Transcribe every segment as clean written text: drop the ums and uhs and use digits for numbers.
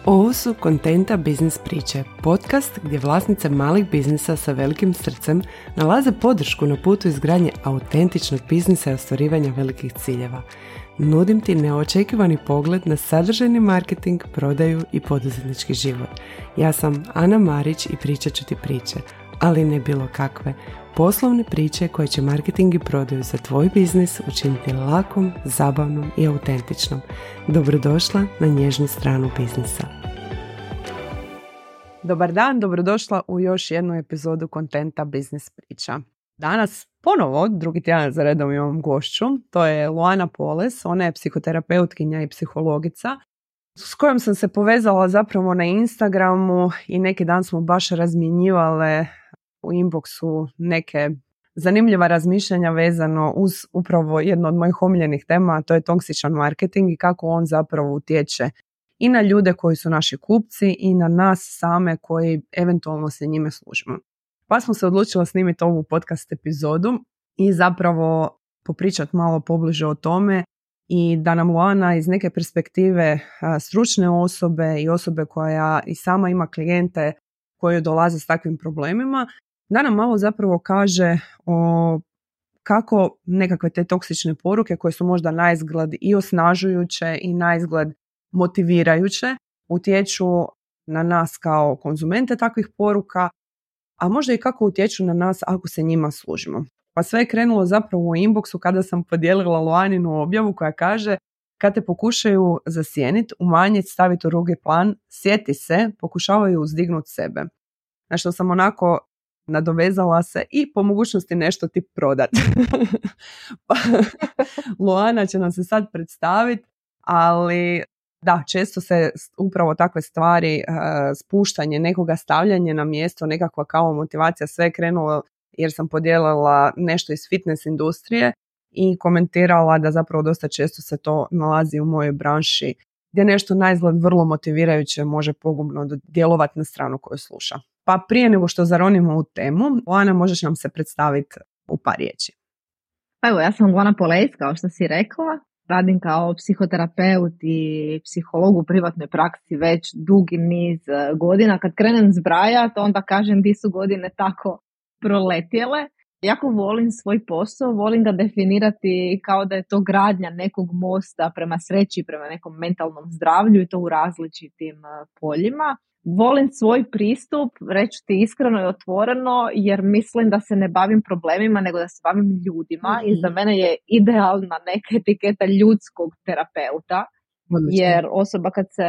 Ovo su Kontenta biznis priče, podcast gdje vlasnice malih biznisa sa velikim srcem nalaze podršku na putu izgradnje autentičnog biznisa i ostvarivanja velikih ciljeva. Nudim ti neočekivani pogled na sadržajni marketing, prodaju i poduzetnički život. Ja sam Ana Marić i pričat ću ti priče, ali ne bilo kakve. Poslovne priče koje će marketing i prodaju za tvoj biznis učiniti lakom, zabavnom i autentičnom. Dobrodošla na nježnu stranu biznisa. Dobar dan, dobrodošla u još jednu epizodu Kontenta biznis priča. Danas ponovo, drugi tjedan za redom imam gošću, to je Luana Poles, ona je psihoterapeutkinja i psihologica s kojom sam se povezala zapravo na Instagramu i neki dan smo baš razmjenjivale u inboxu neke zanimljiva razmišljanja vezano uz upravo jedno od mojih omiljenih tema, a to je toksičan marketing i kako on zapravo utječe i na ljude koji su naši kupci i na nas same koji eventualno se njime služimo. Pa smo se odlučila snimiti ovu podcast epizodu i zapravo popričati malo pobliže o tome i da nam Luana iz neke perspektive stručne osobe i osobe koja i sama ima klijente koji dolaze s takvim problemima, da nam malo zapravo kaže o kako nekakve te toksične poruke koje su možda naizgled i osnažujuće i naizgled motivirajuće utječu na nas kao konzumente takvih poruka, a možda i kako utječu na nas ako se njima služimo. Pa sve je krenulo zapravo u inboxu kada sam podijelila Luaninu objavu koja kaže: kad te pokušaju zasjeniti, umanjiti, staviti u drugi plan, sjeti se, pokušavaju uzdignuti sebe. Na što sam onako nadovezala se i po mogućnosti nešto ti prodat. Pa, Luana će nam se sad predstaviti, ali da, često se upravo takve stvari, spuštanje nekoga, stavljanje na mjesto, nekakva kao motivacija, sve je krenulo jer sam podijelila nešto iz fitness industrije i komentirala da zapravo dosta često se to nalazi u mojoj branši gdje nešto naizgled vrlo motivirajuće može pogubno djelovati na stranu koju sluša. Pa prije nego što zaronimo u temu, Luana, možeš nam se predstaviti u par riječi. Evo, ja sam Luana Poles, kao što si rekla. Radim kao psihoterapeut i psiholog u privatnoj praksi već dugi niz godina. Kad krenem zbrajati, onda kažem di su godine tako proletjele. Jako volim svoj posao, volim ga definirati kao da je to gradnja nekog mosta prema sreći, prema nekom mentalnom zdravlju i to u različitim poljima. Volim svoj pristup, reći ti iskreno i otvoreno, jer mislim da se ne bavim problemima, nego da se bavim ljudima i za mene je idealna neka etiketa ljudskog terapeuta, jer osoba kad se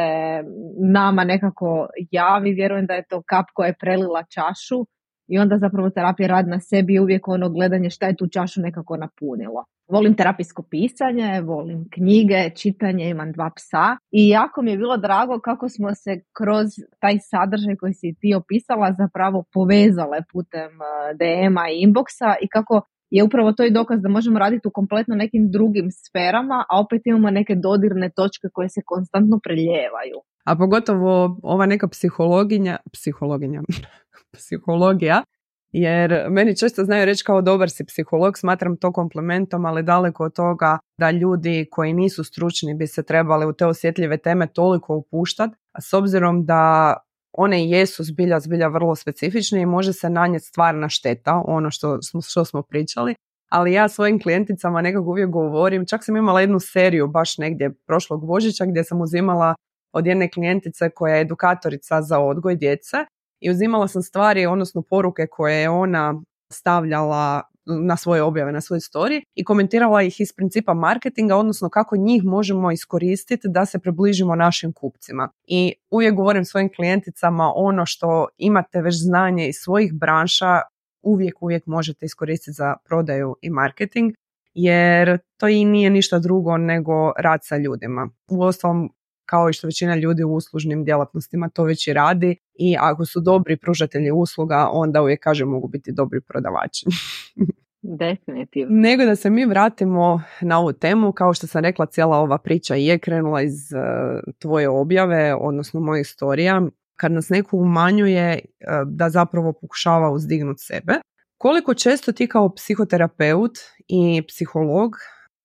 nama nekako javi, vjerujem da je to kap koja je prelila čašu i onda zapravo terapija radi na sebi i uvijek ono gledanje šta je tu čašu nekako napunilo. Volim terapijsko pisanje, volim knjige, čitanje, imam 2 psa i jako mi je bilo drago kako smo se kroz taj sadržaj koji si ti opisala zapravo povezale putem DM-a i inboxa i kako je upravo to i dokaz da možemo raditi u kompletno nekim drugim sferama, a opet imamo neke dodirne točke koje se konstantno preljevaju. A pogotovo ova neka psihologija, jer meni često znaju reći kao dobar si psiholog, smatram to komplimentom, ali daleko od toga da ljudi koji nisu stručni bi se trebali u te osjetljive teme toliko upuštati, a s obzirom da one jesu zbilja vrlo specifične i može se nanijeti stvarna šteta, ono što smo pričali, ali ja svojim klijenticama nekako uvijek govorim, čak sam imala jednu seriju baš negdje prošlog Božića gdje sam uzimala od jedne klijentice koja je edukatorica za odgoj djece i uzimala sam stvari, odnosno poruke koje je ona stavljala na svoje objave, na svoj story i komentirala ih iz principa marketinga, odnosno kako njih možemo iskoristiti da se približimo našim kupcima. I uvijek govorim svojim klijenticama ono što imate već znanje iz svojih branša, uvijek možete iskoristiti za prodaju i marketing, jer to i nije ništa drugo nego rad sa ljudima. Uostalom, kao i što većina ljudi u uslužnim djelatnostima to već i radi i ako su dobri pružatelji usluga, onda uvijek kažem mogu biti dobri prodavači. Definitivno. Nego da se mi vratimo na ovu temu, kao što sam rekla, cijela ova priča je krenula iz tvoje objave, odnosno mojih storija, kad nas neko umanjuje da zapravo pokušava uzdignuti sebe. Koliko često ti kao psihoterapeut i psiholog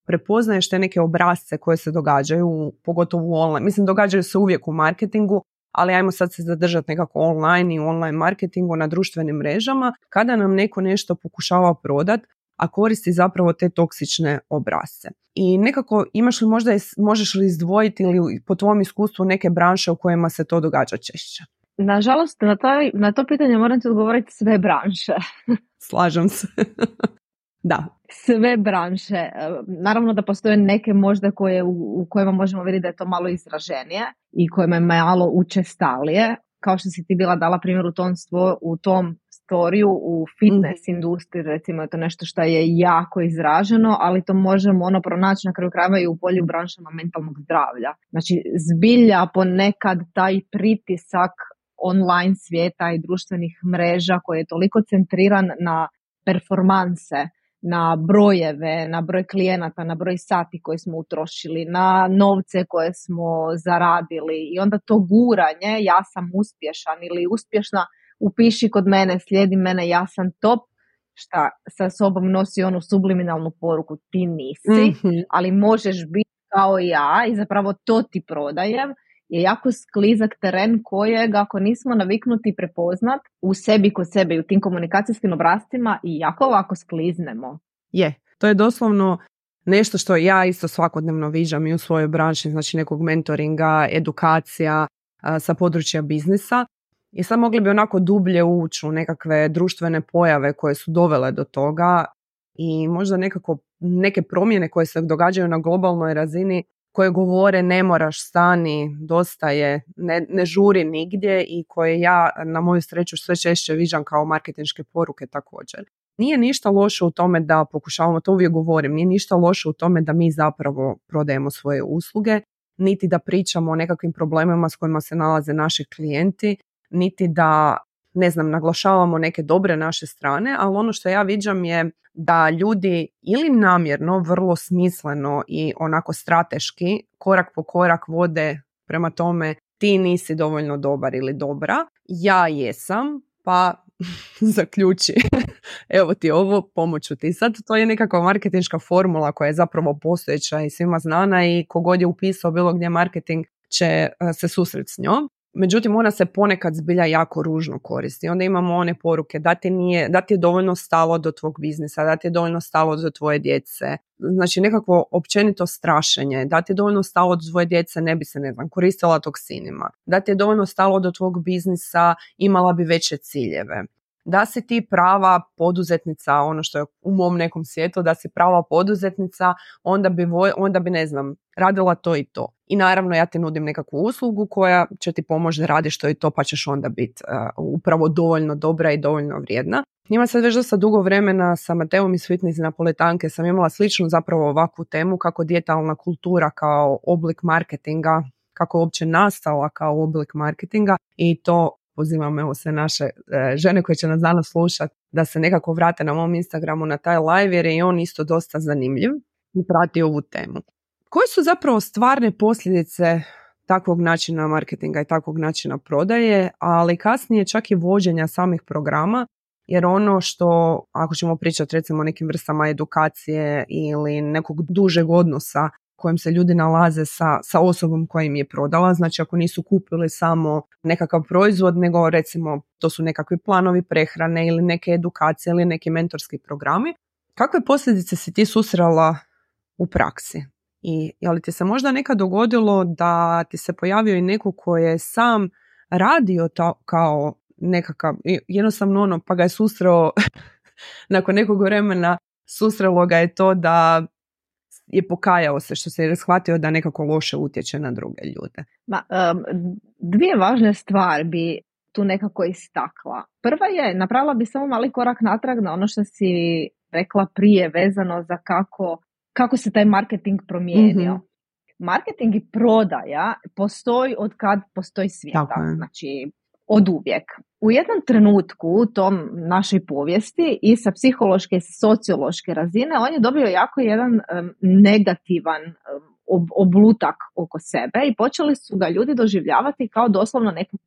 prepoznaješ te neke obrasce koje se događaju, pogotovo u online. Mislim, događaju se uvijek u marketingu, ali ajmo sad se zadržati nekako online i online marketingu na društvenim mrežama, kada nam neko nešto pokušava prodati, a koristi zapravo te toksične obrasce. I nekako imaš li možeš li izdvojiti ili po tvom iskustvu neke branše u kojima se to događa češće? Nažalost, na to pitanje moram ti odgovoriti sve branše. Slažem se. Da. Sve branše. Naravno da postoje neke možda u kojima možemo vidjeti da je to malo izraženije i kojima je malo učestalije. Kao što si ti bila dala primjer u tom storiju, u fitness industriji, recimo je to nešto što je jako izraženo, ali to možemo pronaći na kraju krajeva i u polju branšama mentalnog zdravlja. Znači, zbilja ponekad taj pritisak online svijeta i društvenih mreža koji je toliko centriran na performanse, na brojeve, na broj klijenata, na broj sati koje smo utrošili, na novce koje smo zaradili i onda to guranje, ja sam uspješan ili uspješna, upiši kod mene, slijedi mene, ja sam top, šta sa sobom nosi onu subliminalnu poruku, ti nisi, ali možeš biti kao ja i zapravo to ti prodajem, je jako sklizak teren kojeg ako nismo naviknuti prepoznat u sebi kod sebe i u tim komunikacijskim obrascima i jako lako skliznemo. To je doslovno nešto što ja isto svakodnevno viđam i u svojoj branši, znači nekog mentoringa, edukacija sa područja biznisa. I sad mogli bi onako dublje ući u nekakve društvene pojave koje su dovele do toga i možda neke promjene koje se događaju na globalnoj razini koje govore ne moraš, stani, dosta je, ne žuri nigdje i koje ja na moju sreću sve češće viđam kao marketinške poruke također. Nije ništa loše u tome da pokušavamo, to uvijek govorim, nije ništa loše u tome da mi zapravo prodajemo svoje usluge, niti da pričamo o nekakvim problemima s kojima se nalaze naši klijenti, niti da, naglašavamo neke dobre naše strane, ali ono što ja viđam je da ljudi ili namjerno, vrlo smisleno i onako strateški, korak po korak vode prema tome ti nisi dovoljno dobar ili dobra, ja jesam, pa zaključi, evo ti ovo, pomoću ti. Sad to je nekakva marketinška formula koja je zapravo postojeća i svima znana i kogod je upisao bilo gdje marketing će se susreti s njom. Međutim, ona se ponekad zbilja jako ružno koristi. Onda imamo one poruke da ti je dovoljno stalo do tvog biznisa, da ti je dovoljno stalo do tvoje djece. Znači nekakvo općenito strašenje. Da ti je dovoljno stalo do tvoje djece, ne bi se, koristila toksinima. Da ti je dovoljno stalo do tvog biznisa, imala bi veće ciljeve. Da si ti prava poduzetnica, ono što je u mom nekom svijetu, da si prava poduzetnica, onda bi radila to i to. I naravno ja ti nudim nekakvu uslugu koja će ti pomoći da radiš to i to, pa ćeš onda biti upravo dovoljno dobra i dovoljno vrijedna. Njima sad već dosta dugo vremena sa Mateom iz Fitness Napoletanke sam imala sličnu zapravo ovakvu temu kako dijetalna kultura kao oblik marketinga, kako je uopće nastala kao oblik marketinga i to pozivam sve naše žene koje će nas danas slušati da se nekako vrate na mom Instagramu na taj live jer je on isto dosta zanimljiv i prati ovu temu. Koje su zapravo stvarne posljedice takvog načina marketinga i takvog načina prodaje, ali kasnije čak i vođenja samih programa, jer ono što, ako ćemo pričati recimo o nekim vrstama edukacije ili nekog dužeg odnosa kojim se ljudi nalaze sa osobom koja im je prodala, znači ako nisu kupili samo nekakav proizvod, nego recimo to su nekakvi planovi prehrane ili neke edukacije ili neki mentorski programi, kakve posljedice si ti susrela u praksi? I je li ti se možda nekad dogodilo da ti se pojavio i neko koji je sam radio to kao nekakav, jednostavno pa ga je susreo nakon nekog vremena, susrelo ga je to da je pokajao se što se je shvatio da nekako loše utječe na druge ljude? Dvije važne stvari bi tu nekako istakla. Prva je, napravila bi samo mali korak natrag na ono što si rekla prije vezano za kako se taj marketing promijenio. Mm-hmm. Marketing i prodaja postoji od kad postoji svijeta. Znači, od uvijek. U jednom trenutku u tom našoj povijesti i sa psihološke i sa sociološke razine on je dobio jako jedan negativan oblutak oko sebe i počeli su ga ljudi doživljavati kao doslovno nekog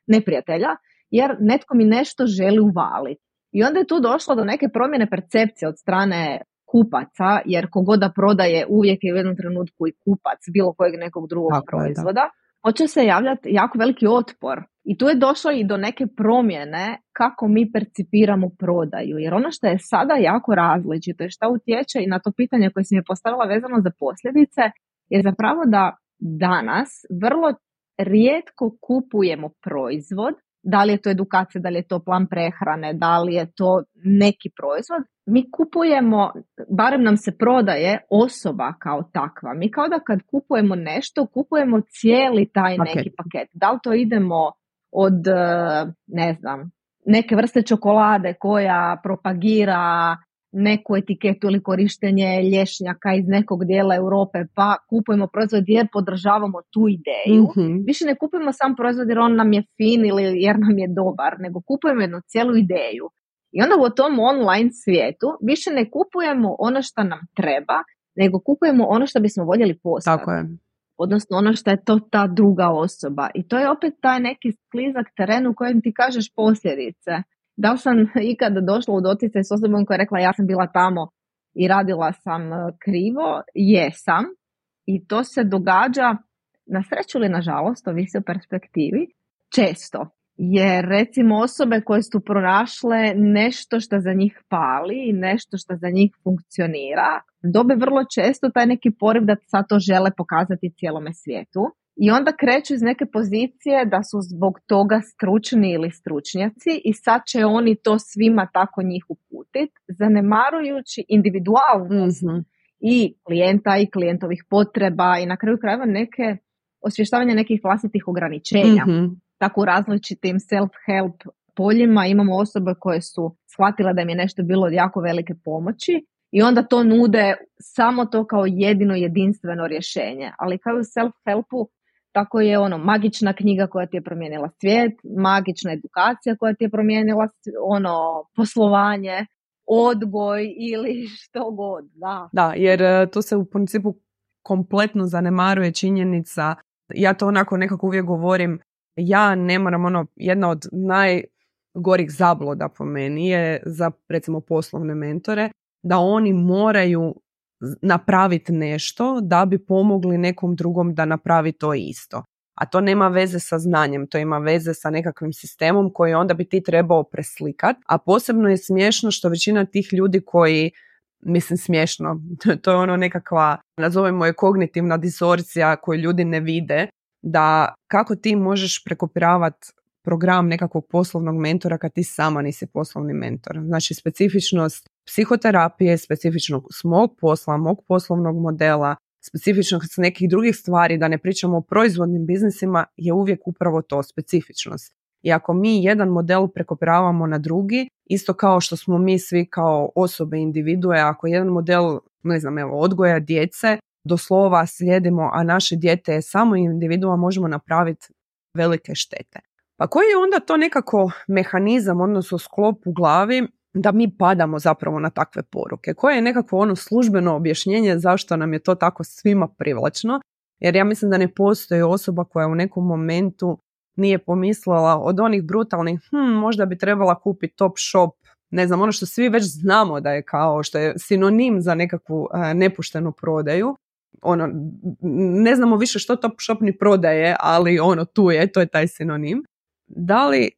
neprijatelja, jer netko mi nešto želi uvaliti. I onda je tu došlo do neke promjene percepcije od strane kupaca, jer kogoda prodaje uvijek je u jednom trenutku i kupac bilo kojeg nekog drugog proizvoda. počeo se javljati jako veliki otpor. I tu je došlo i do neke promjene kako mi percipiramo prodaju. Jer ono što je sada jako različito i što utječe i na to pitanje koje sam je postavila vezano za posljedice je zapravo da danas vrlo rijetko kupujemo proizvod. Da li je to edukacija, da li je to plan prehrane, da li je to neki proizvod. Mi kupujemo, barem nam se prodaje osoba kao takva. Mi kao da kad kupujemo nešto, kupujemo cijeli taj neki paket. Da li to idemo od, ne znam, neke vrste čokolade koja propagira neku etiketu ili korištenje lješnjaka iz nekog dijela Europe, pa kupujemo proizvod jer podržavamo tu ideju. Više ne kupujemo sam proizvod jer on nam je fin ili jer nam je dobar, nego kupujemo jednu cijelu ideju. I onda u tom online svijetu više ne kupujemo ono što nam treba, nego kupujemo ono što bismo voljeli postati. Tako je. Odnosno ono što je to ta druga osoba. I to je opet taj neki sklizak teren u kojem ti kažeš posljedice. Da li sam ikada došla u doticaj s osobom koja je rekla ja sam bila tamo i radila sam krivo? Jesam. I to se događa, na sreću ili nažalost, ovisi o perspektivi, često. Jer recimo osobe koje su pronašle nešto što za njih pali i nešto što za njih funkcionira, dobe vrlo često taj neki poriv da sad to žele pokazati cijelome svijetu. I onda kreću iz neke pozicije da su zbog toga stručni ili stručnjaci i sad će oni to svima tako njih uputiti, zanemarujući individualnost i klijenta i klijentovih potreba i na kraju krajeva neke osvještavanje nekih vlastitih ograničenja. Tako u različitim self-help poljima imamo osobe koje su shvatile da im je nešto bilo od jako velike pomoći i onda to nude samo to kao jedino jedinstveno rješenje. Ali kao u self-helpu, tako je magična knjiga koja ti je promijenila svijet, magična edukacija koja ti je promijenila poslovanje, odgoj ili što god. Da, jer tu se u principu kompletno zanemaruje činjenica, ja to onako nekako uvijek govorim, ja ne moram, jedna od najgorih zabluda po meni je za recimo poslovne mentore, da oni moraju napraviti nešto da bi pomogli nekom drugom da napravi to isto. A to nema veze sa znanjem, to ima veze sa nekakvim sistemom koji onda bi ti trebao preslikati. A posebno je smiješno što većina tih ljudi koji, smiješno, to je nekakva, nazovemo je kognitivna disorcija koju ljudi ne vide, da kako ti možeš prekopiravati program nekakvog poslovnog mentora kad ti sama nisi poslovni mentor. Znači specifičnost psihoterapije, specifičnost mog posla, mog poslovnog modela, specifičnost nekih drugih stvari, da ne pričamo o proizvodnim biznisima, je uvijek upravo to, specifičnost. I ako mi jedan model prekopiravamo na drugi, isto kao što smo mi svi kao osobe, individue, ako jedan model, odgoja djece, do slova slijedimo, a naše dijete je samo individua, možemo napraviti velike štete. Pa koji je onda to nekako mehanizam, odnosno sklop u glavi da mi padamo zapravo na takve poruke? Koje je nekakvo službeno objašnjenje zašto nam je to tako svima privlačno? Jer ja mislim da ne postoji osoba koja u nekom momentu nije pomislila od onih brutalnih, možda bi trebala kupiti Top Shop, ono što svi već znamo da je kao, što je sinonim za nekakvu nepoštenu prodaju. Ne znamo više što Top Shop ni prodaje, ali tu je, to je taj sinonim. Da li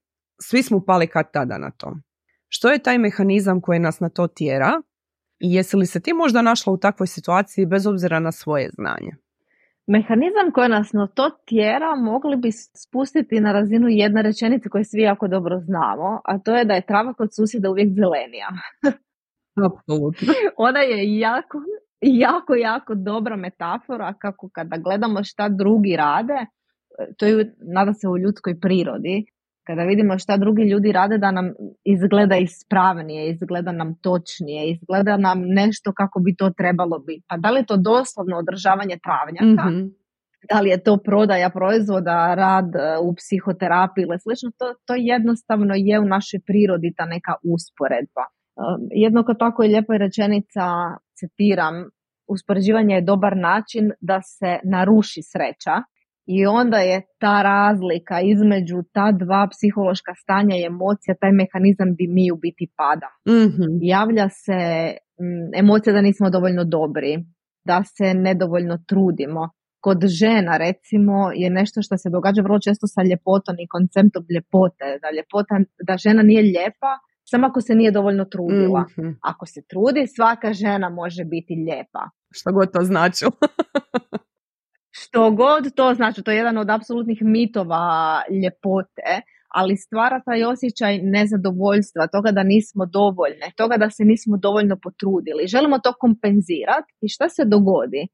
svi smo pali kad tada na to? Što je taj mehanizam koji nas na to tjera i jesi li se ti možda našla u takvoj situaciji bez obzira na svoje znanje? Mehanizam koji nas na to tjera mogli bi spustiti na razinu jedne rečenice koju svi jako dobro znamo, a to je da je trava kod susjeda uvijek zelenija. Apsolutno. Ona je jako dobra metafora kako kada gledamo šta drugi rade, to je nada se u ljudskoj prirodi, kada vidimo šta drugi ljudi rade da nam izgleda ispravnije, izgleda nam točnije, izgleda nam nešto kako bi to trebalo biti. Pa da li je to doslovno održavanje travnjaka, da li je to prodaja proizvoda, rad u psihoterapiji ili slično, to jednostavno je u našoj prirodi ta neka usporedba. Jednako tako je lijepa rečenica, citiram, uspoređivanje je dobar način da se naruši sreća. I onda je ta razlika između ta dva psihološka stanja i emocija, taj mehanizam gdje mi u biti padamo. Javlja se emocija da nismo dovoljno dobri, da se nedovoljno trudimo. kod žena recimo je nešto što se događa vrlo često sa ljepotom i konceptom ljepote. Da žena nije lijepa samo ako se nije dovoljno trudila. Mm-hmm. Ako se trudi, svaka žena može biti lijepa. Što god to značilo. Što god to znači, to je jedan od apsolutnih mitova ljepote, ali stvara taj osjećaj nezadovoljstva, toga da nismo dovoljne, toga da se nismo dovoljno potrudili. Želimo to kompenzirati i šta se dogodi?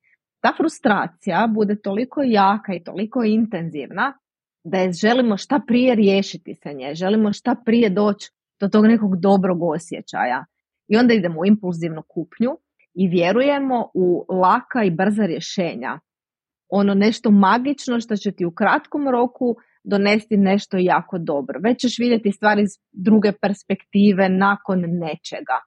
Ta frustracija bude toliko jaka i toliko intenzivna da je želimo šta prije riješiti se nje, želimo šta prije doći do tog nekog dobrog osjećaja. I onda idemo u impulzivnu kupnju i vjerujemo u laka i brza rješenja. Ono nešto magično što će ti u kratkom roku donesti nešto jako dobro. Već ćeš vidjeti stvari iz druge perspektive nakon nečega.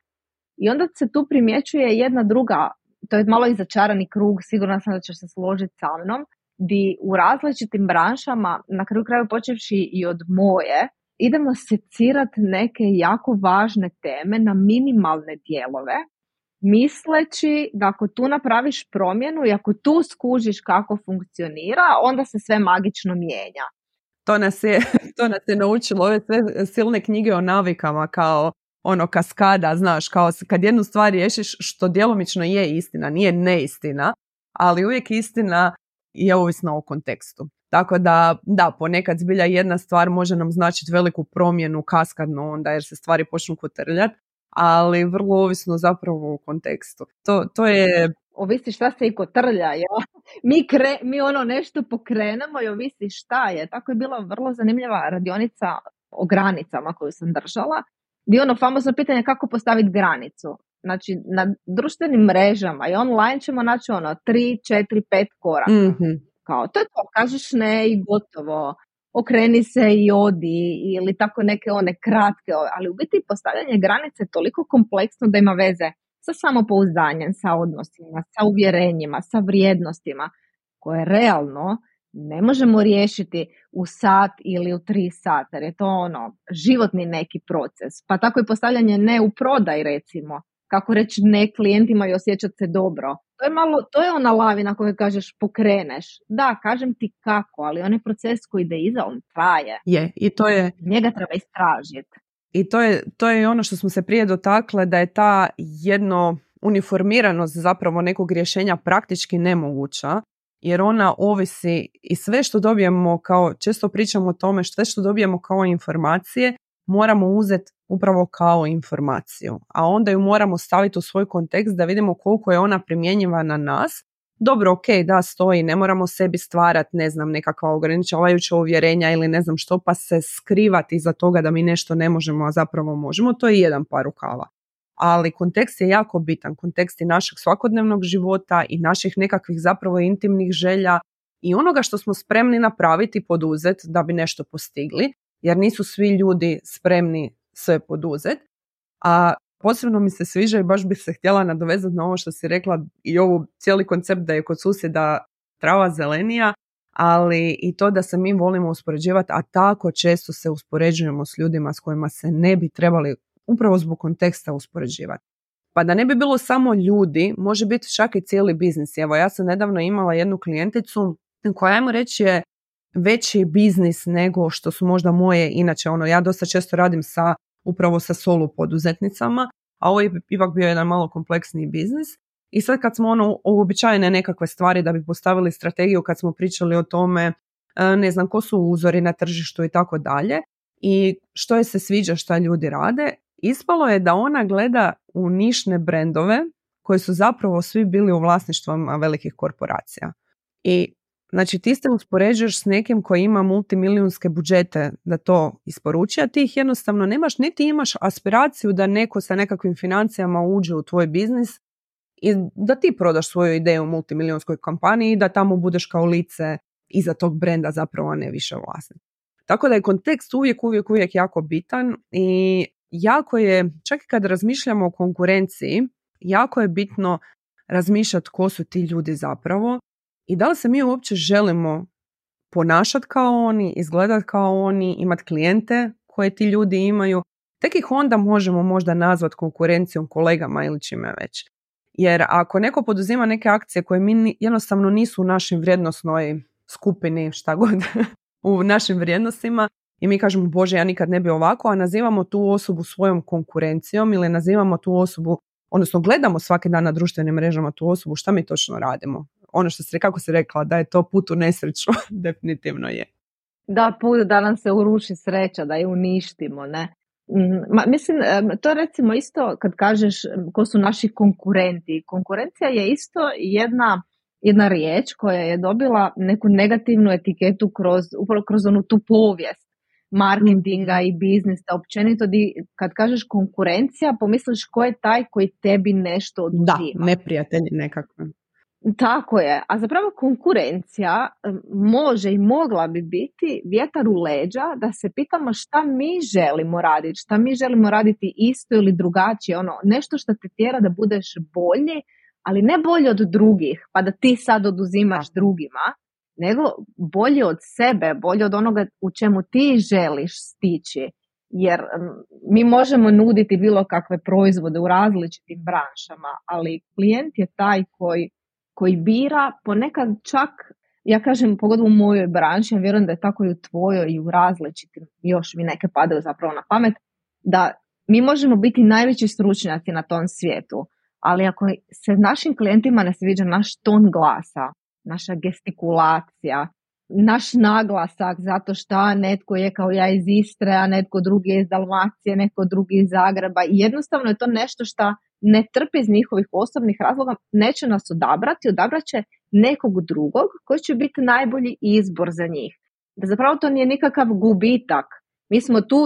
I onda se tu primjećuje jedna druga, to je malo i začarani krug, sigurna sam da ćeš se složiti sa mnom, di u različitim branšama, na kraju kraju počevši i od moje, idemo secirati neke jako važne teme na minimalne dijelove, misleći da ako tu napraviš promjenu i ako tu skužiš kako funkcionira, onda se sve magično mijenja. To nas je naučilo ove sve silne knjige o navikama kao ono kaskada, znaš, kao kad jednu stvar riješiš, što djelomično je istina, nije neistina, ali uvijek istina je ovisna o kontekstu. Tako da, ponekad zbilja jedna stvar može nam značiti veliku promjenu kaskadno onda jer se stvari počnu kotrljati, ali vrlo ovisno zapravo u kontekstu. To je... Ovisi šta se i kotrlja, ja? Mi ono nešto pokrenemo i ovisi šta je. Tako je bila vrlo zanimljiva radionica o granicama koju sam držala. Gdje ono famozno pitanje kako postaviti granicu. Znači, na društvenim mrežama i online ćemo naći 3, 4, 5 koraka. Mm-hmm. Kao, to je to, kažeš ne i gotovo. Okreni se i odi ili tako neke one kratke, ali u biti postavljanje granice je toliko kompleksno da ima veze sa samopouzdanjem, sa odnosima, sa uvjerenjima, sa vrijednostima koje realno ne možemo riješiti u sat ili u 3 sata, jer je to životni neki proces. Pa tako i postavljanje ne u prodaj recimo, kako reći ne klijentima i osjećati se dobro. To je ona lavina koju kažeš pokreneš. Da, kažem ti kako, ali onaj proces koji ide iza, on traje. I to je... Njega treba istražiti. I to je ono što smo se prije dotakle, da je ta jedno uniformiranost zapravo nekog rješenja praktički nemoguća, jer ona ovisi i sve što dobijemo kao, često pričamo o tome, sve što dobijemo kao informacije, moramo uzeti upravo kao informaciju, a onda ju moramo staviti u svoj kontekst da vidimo koliko je ona primjenjiva na nas. Dobro, ok, da, stoji, ne moramo sebi stvarati, ne znam, nekakva ograničavajuća uvjerenja ili ne znam što, pa se skrivati iza toga da mi nešto ne možemo, a zapravo možemo, to je jedan par rukava. Ali kontekst je jako bitan, kontekst je našeg svakodnevnog života i naših nekakvih zapravo intimnih želja i onoga što smo spremni napraviti i poduzeti da bi nešto postigli, jer nisu svi ljudi spremni sve poduzeti. A posebno mi se sviđa i baš bih se htjela nadovezati na ovo što si rekla i ovo cijeli koncept da je kod susjeda trava zelenija, ali i to da se mi volimo uspoređivati, a tako često se uspoređujemo s ljudima s kojima se ne bi trebali upravo zbog konteksta uspoređivati. Pa da ne bi bilo samo ljudi, može biti čak i cijeli biznis. Evo, ja sam nedavno imala jednu klijenticu koja, ajmo reći, je veći biznis nego što su možda moje. Inače, ja dosta često radim upravo sa solo poduzetnicama, a ovo je ipak bio jedan malo kompleksniji biznis. I sad kad smo uobičajene nekakve stvari da bi postavili strategiju, kad smo pričali o tome, ne znam, ko su uzori na tržištu i tako dalje, i što je se sviđa šta ljudi rade, ispalo je da ona gleda u nišne brendove koji su zapravo svi bili u vlasništvu velikih korporacija. I znači ti se uspoređuješ s nekim koji ima multimilijunske budžete da to isporuči, a ti ih jednostavno nemaš, niti imaš aspiraciju da neko sa nekakvim financijama uđe u tvoj biznis i da ti prodaš svoju ideju u multimilijonskoj kompaniji i da tamo budeš kao lice iza tog brenda zapravo, a ne više vlasnik. Tako da je kontekst uvijek jako bitan i jako je, čak i kad razmišljamo o konkurenciji, jako je bitno razmišljati ko su ti ljudi zapravo i da li se mi uopće želimo ponašati kao oni, izgledati kao oni, imati klijente koje ti ljudi imaju. Tek ih onda možemo možda nazvati konkurencijom, kolegama ili čime već. Jer ako neko poduzima neke akcije koje mi jednostavno nisu u našim vrijednosnoj skupini, šta god, u našim vrijednostima, i mi kažemo, Bože, ja nikad ne bi ovako, a nazivamo tu osobu svojom konkurencijom ili nazivamo tu osobu, odnosno gledamo svaki dan na društvenim mrežama tu osobu, šta mi točno radimo? Ono što kako si rekla, da je to put u nesreću, definitivno je. Da, put da nam se uruši sreća, da je uništimo, ne? Mislim, to je recimo isto kad kažeš ko su naši konkurenti. Konkurencija je isto jedna riječ koja je dobila neku negativnu etiketu upravo kroz onu tu povijest marketinga i biznisa. Općenito kad kažeš konkurencija, pomisliš ko je taj koji tebi nešto oduzima. Da, neprijatelji nekakve. Tako je, a zapravo konkurencija može i mogla bi biti vjetar u leđa da se pitamo šta mi želimo raditi isto ili drugačije, nešto što te tjera da budeš bolji, ali ne bolji od drugih, pa da ti sad oduzimaš drugima, nego bolji od sebe, bolji od onoga u čemu ti želiš stići, jer mi možemo nuditi bilo kakve proizvode u različitim branšama, ali klijent je taj koji bira, ponekad čak, ja kažem, pogotovo u mojoj branši, ja vjerujem da je tako i u tvojoj i u različitim, još mi neke padaju zapravo na pamet, da mi možemo biti najveći stručnjaci na tom svijetu, ali ako se našim klijentima ne sviđa naš ton glasa, naša gestikulacija, naš naglasak zato što netko je kao ja iz Istre, a netko drugi je iz Dalmacije, netko drugi iz Zagreba, i jednostavno je to nešto što ne trpi iz njihovih osobnih razloga, neće nas odabrati, odabrat će nekog drugog koji će biti najbolji izbor za njih. Da zapravo to nije nikakav gubitak. Mi smo tu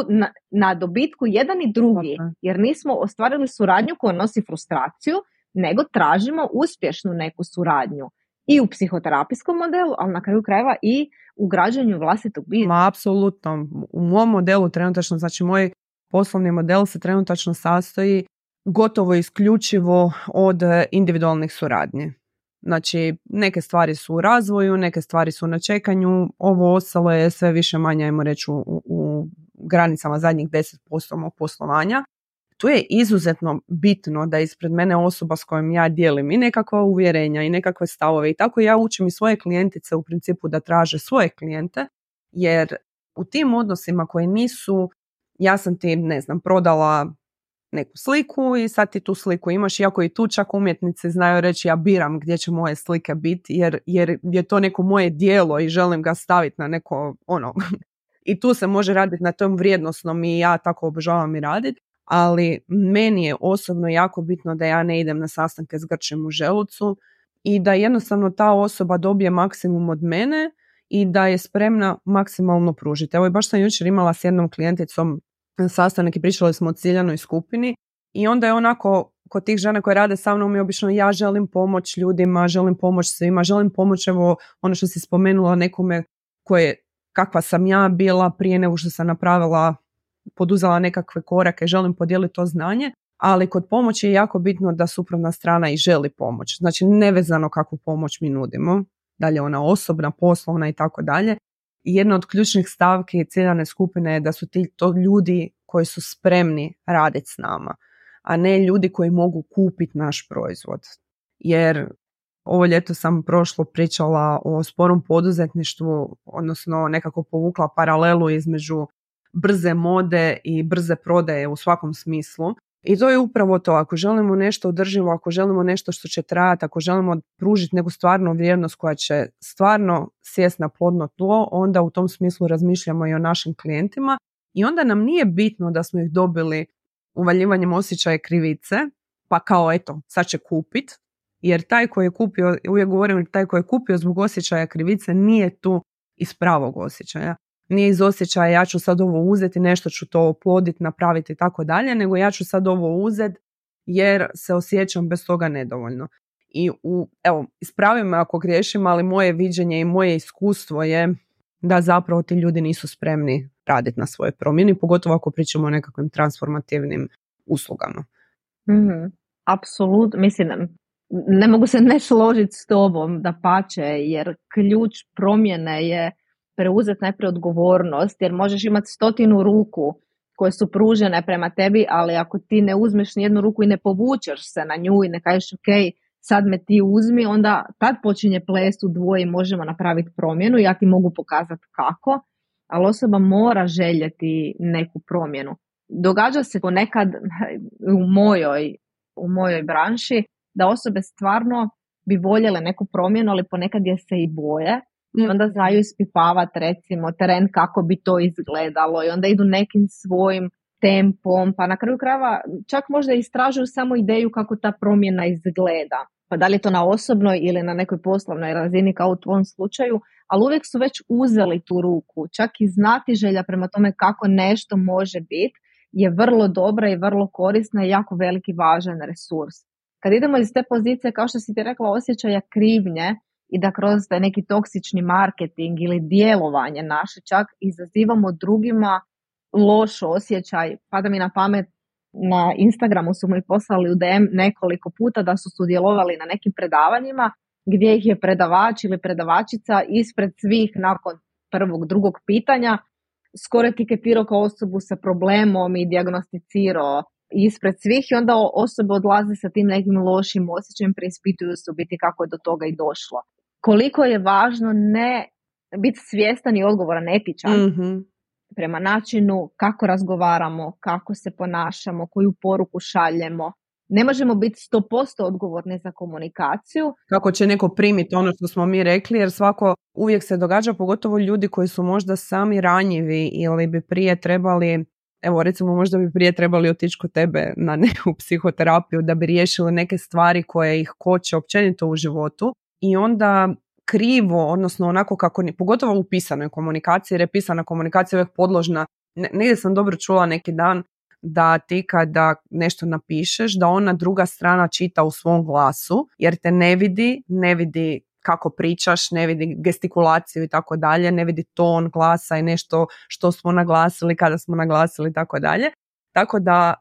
na dobitku jedan i drugi, jer nismo ostvarili suradnju koja nosi frustraciju, nego tražimo uspješnu neku suradnju. I u psihoterapijskom modelu, ali na kraju krajeva i u građanju vlastitog biznisa. Apsolutno. U mom modelu trenutačno, znači moj poslovni model se trenutačno sastoji gotovo isključivo od individualnih suradnji. Znači, neke stvari su u razvoju, neke stvari su na čekanju, ovo ostalo je sve više manje, ajmo reći, u granicama zadnjih 10% mog poslovanja. Tu je izuzetno bitno da ispred mene osoba s kojom ja dijelim i nekakva uvjerenja i nekakve stavove, i tako ja učim i svoje klijentice u principu da traže svoje klijente, jer u tim odnosima koji nisu, ja sam ti, ne znam, prodala neku sliku i sad ti tu sliku imaš, iako i tu čak umjetnici znaju reći ja biram gdje će moje slike biti, jer je to neko moje djelo i želim ga staviti na neko i tu se može raditi na tom vrijednosnom, i ja tako obožavam i raditi, ali meni je osobno jako bitno da ja ne idem na sastanke s grčem u želucu i da jednostavno ta osoba dobije maksimum od mene i da je spremna maksimalno pružiti. Evo, baš sam jučer imala s jednom klijenticom sastanak i pričali smo o ciljanoj skupini, i onda je onako kod tih žena koje rade sa mnom, i obično ja želim pomoć ljudima, želim pomoć svima, želim pomoć, evo ono što si spomenula, nekome kakva sam ja bila prije nego što sam poduzela nekakve korake, želim podijeliti to znanje, ali kod pomoći je jako bitno da suprotna strana i želi pomoć. Znači, nevezano kakvu pomoć mi nudimo, dalje ona osobna, poslovna i tako dalje. Jedna od ključnih stavki ciljane skupine je da su to ljudi koji su spremni raditi s nama, a ne ljudi koji mogu kupiti naš proizvod. Jer ovo ljeto sam pričala o sporom poduzetništvu, odnosno nekako povukla paralelu između brze mode i brze prodaje u svakom smislu. I to je upravo to, ako želimo nešto održivo, ako želimo nešto što će trajati, ako želimo pružiti neku stvarnu vrijednost koja će stvarno sjesti na plodno tlo, onda u tom smislu razmišljamo i o našim klijentima, i onda nam nije bitno da smo ih dobili uvaljivanjem osjećaja krivice, pa kao eto, sad će kupit, jer taj koji je kupio, uvijek govorim, taj koji je kupio zbog osjećaja krivice nije tu iz pravog osjećaja. Nije iz osjećaja ja ću sad ovo uzeti, nešto ću to oploditi, napraviti i tako dalje, nego ja ću sad ovo uzeti jer se osjećam bez toga nedovoljno. I evo, ispravi me ako griješim, ali moje viđenje i moje iskustvo je da zapravo ti ljudi nisu spremni raditi na svoje promjeni, pogotovo ako pričamo o nekakvim transformativnim uslugama. Apsolutno, mislim, ne mogu se ne složiti s tobom, dapače, jer ključ promjene je preuzeti najprije odgovornost, jer možeš imati 100 ruku koje su pružene prema tebi, ali ako ti ne uzmeš nijednu ruku i ne povučeš se na nju i ne kažeš ok, sad me ti uzmi, onda tad počinje ples u dvoje i možemo napraviti promjenu. Ja ti mogu pokazati kako, ali osoba mora željeti neku promjenu. Događa se ponekad u mojoj branši da osobe stvarno bi voljele neku promjenu, ali ponekad je se i boje. I onda znaju ispipavati recimo teren kako bi to izgledalo i onda idu nekim svojim tempom, pa na kraju krajeva čak možda istražuju samo ideju kako ta promjena izgleda. Pa da li je to na osobnoj ili na nekoj poslovnoj razini kao u tvom slučaju, ali uvijek su već uzeli tu ruku. Čak i znatiželja prema tome kako nešto može biti je vrlo dobra i vrlo korisna i jako veliki važan resurs. Kad idemo iz te pozicije, kao što si ti rekla, osjećaja krivnje i da kroz taj neki toksični marketing ili djelovanje naše čak izazivamo drugima loš osjećaj. Pada mi na pamet, na Instagramu su mi poslali u DM nekoliko puta da su sudjelovali na nekim predavanjima gdje ih je predavač ili predavačica ispred svih nakon prvog, drugog pitanja skoro etiketirao kao osobu sa problemom i dijagnosticirao ispred svih i onda osobe odlaze sa tim nekim lošim osjećajem, preispituju se u biti kako je do toga i došlo. Koliko je važno ne biti svjestan i odgovoran, etičan prema načinu kako razgovaramo, kako se ponašamo, koju poruku šaljemo. Ne možemo biti 100% odgovorni za komunikaciju. Kako će neko primiti ono što smo mi rekli, jer svako uvijek se događa, pogotovo ljudi koji su možda sami ranjivi ili bi prije trebali, evo recimo možda bi prije trebali otići kod tebe na neku psihoterapiju da bi riješili neke stvari koje ih koče općenito u životu i onda krivo, odnosno onako kako, pogotovo u pisanoj komunikaciji, jer je pisana komunikacija uvijek podložna. Negdje sam dobro čula neki dan da ti kada nešto napišeš, da ona druga strana čita u svom glasu, jer te ne vidi kako pričaš, ne vidi gestikulaciju i tako dalje, ne vidi ton glasa i nešto što smo naglasili, kada smo naglasili i tako dalje. Tako da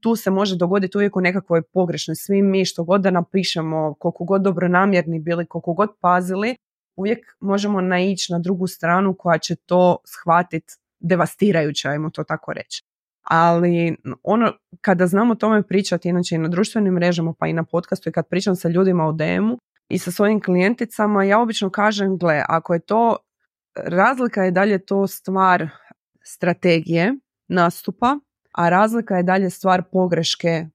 tu se može dogoditi uvijek u nekakvoj pogrešnoj. Svi mi što god da napišemo, koliko god dobronamjerni bili, koliko god pazili, uvijek možemo naići na drugu stranu koja će to shvatiti devastirajuće, ajmo to tako reći. Ali ono, kada znamo o tome pričati, inače i na društvenim mrežama pa i na podcastu i kad pričam sa ljudima u DM-u i sa svojim klijenticama, ja obično kažem, gle, ako je to, razlika je dalje to stvar strategije nastupa, a razlika je dalje stvar pogreške,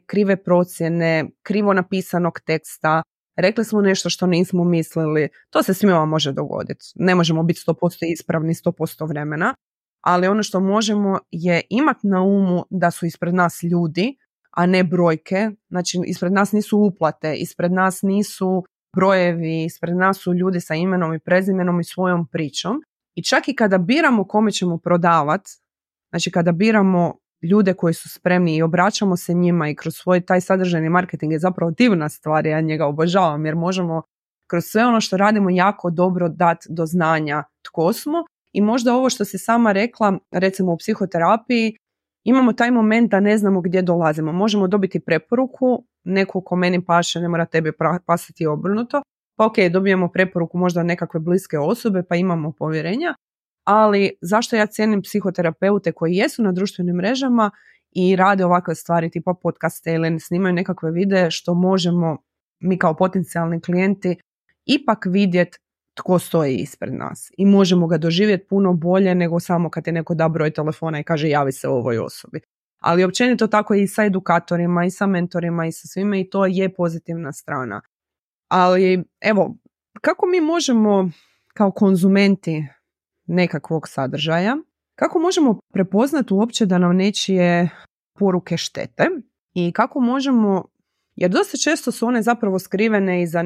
krive procjene, krivo napisanog teksta, rekli smo nešto što nismo mislili, to se svima može dogoditi. Ne možemo biti 100% ispravni 100% vremena, ali ono što možemo je imati na umu da su ispred nas ljudi, a ne brojke. Znači, ispred nas nisu uplate, ispred nas nisu brojevi, ispred nas su ljudi sa imenom i prezimenom i svojom pričom. I čak i kada biramo kome ćemo prodavati, znači kada biramo ljude koji su spremni i obraćamo se njima i kroz svoj taj sadržajni marketing je zapravo divna stvar, ja njega obožavam jer možemo kroz sve ono što radimo jako dobro dati do znanja tko smo. I možda ovo što si sama rekla, recimo u psihoterapiji, imamo taj moment da ne znamo gdje dolazimo. Možemo dobiti preporuku, neku ko meni paše, ne mora tebi pasati obrnuto. Pa ok, dobijemo preporuku možda od nekakve bliske osobe, pa imamo povjerenja. Ali zašto ja cijenim psihoterapeute koji jesu na društvenim mrežama i rade ovakve stvari tipa podcaste ili snimaju nekakve videe što možemo mi kao potencijalni klijenti ipak vidjeti tko stoji ispred nas i možemo ga doživjeti puno bolje nego samo kad je neko da broj telefona i kaže javi se ovoj osobi. Ali općenito tako i sa edukatorima i sa mentorima i sa svime i to je pozitivna strana. Ali evo, kako mi možemo kao konzumenti nekakvog sadržaja, kako možemo prepoznati uopće da nam nečije poruke štete i kako možemo, jer dosta često su one zapravo skrivene iza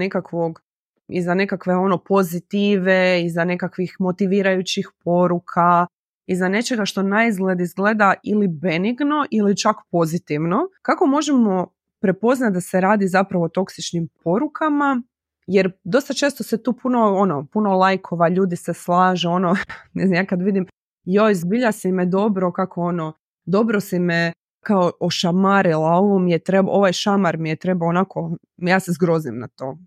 nekakve pozitive, iza nekakvih motivirajućih poruka, iza nečega što naizgled izgleda ili benigno ili čak pozitivno. Kako možemo prepoznati da se radi zapravo o toksičnim porukama? Jer dosta često se tu puno lajkova, ljudi se slaže, ne znam, ja kad vidim, joj, zbilja si me dobro, dobro si me kao ošamarila, ovaj šamar mi je treba onako, ja se zgrozim na to.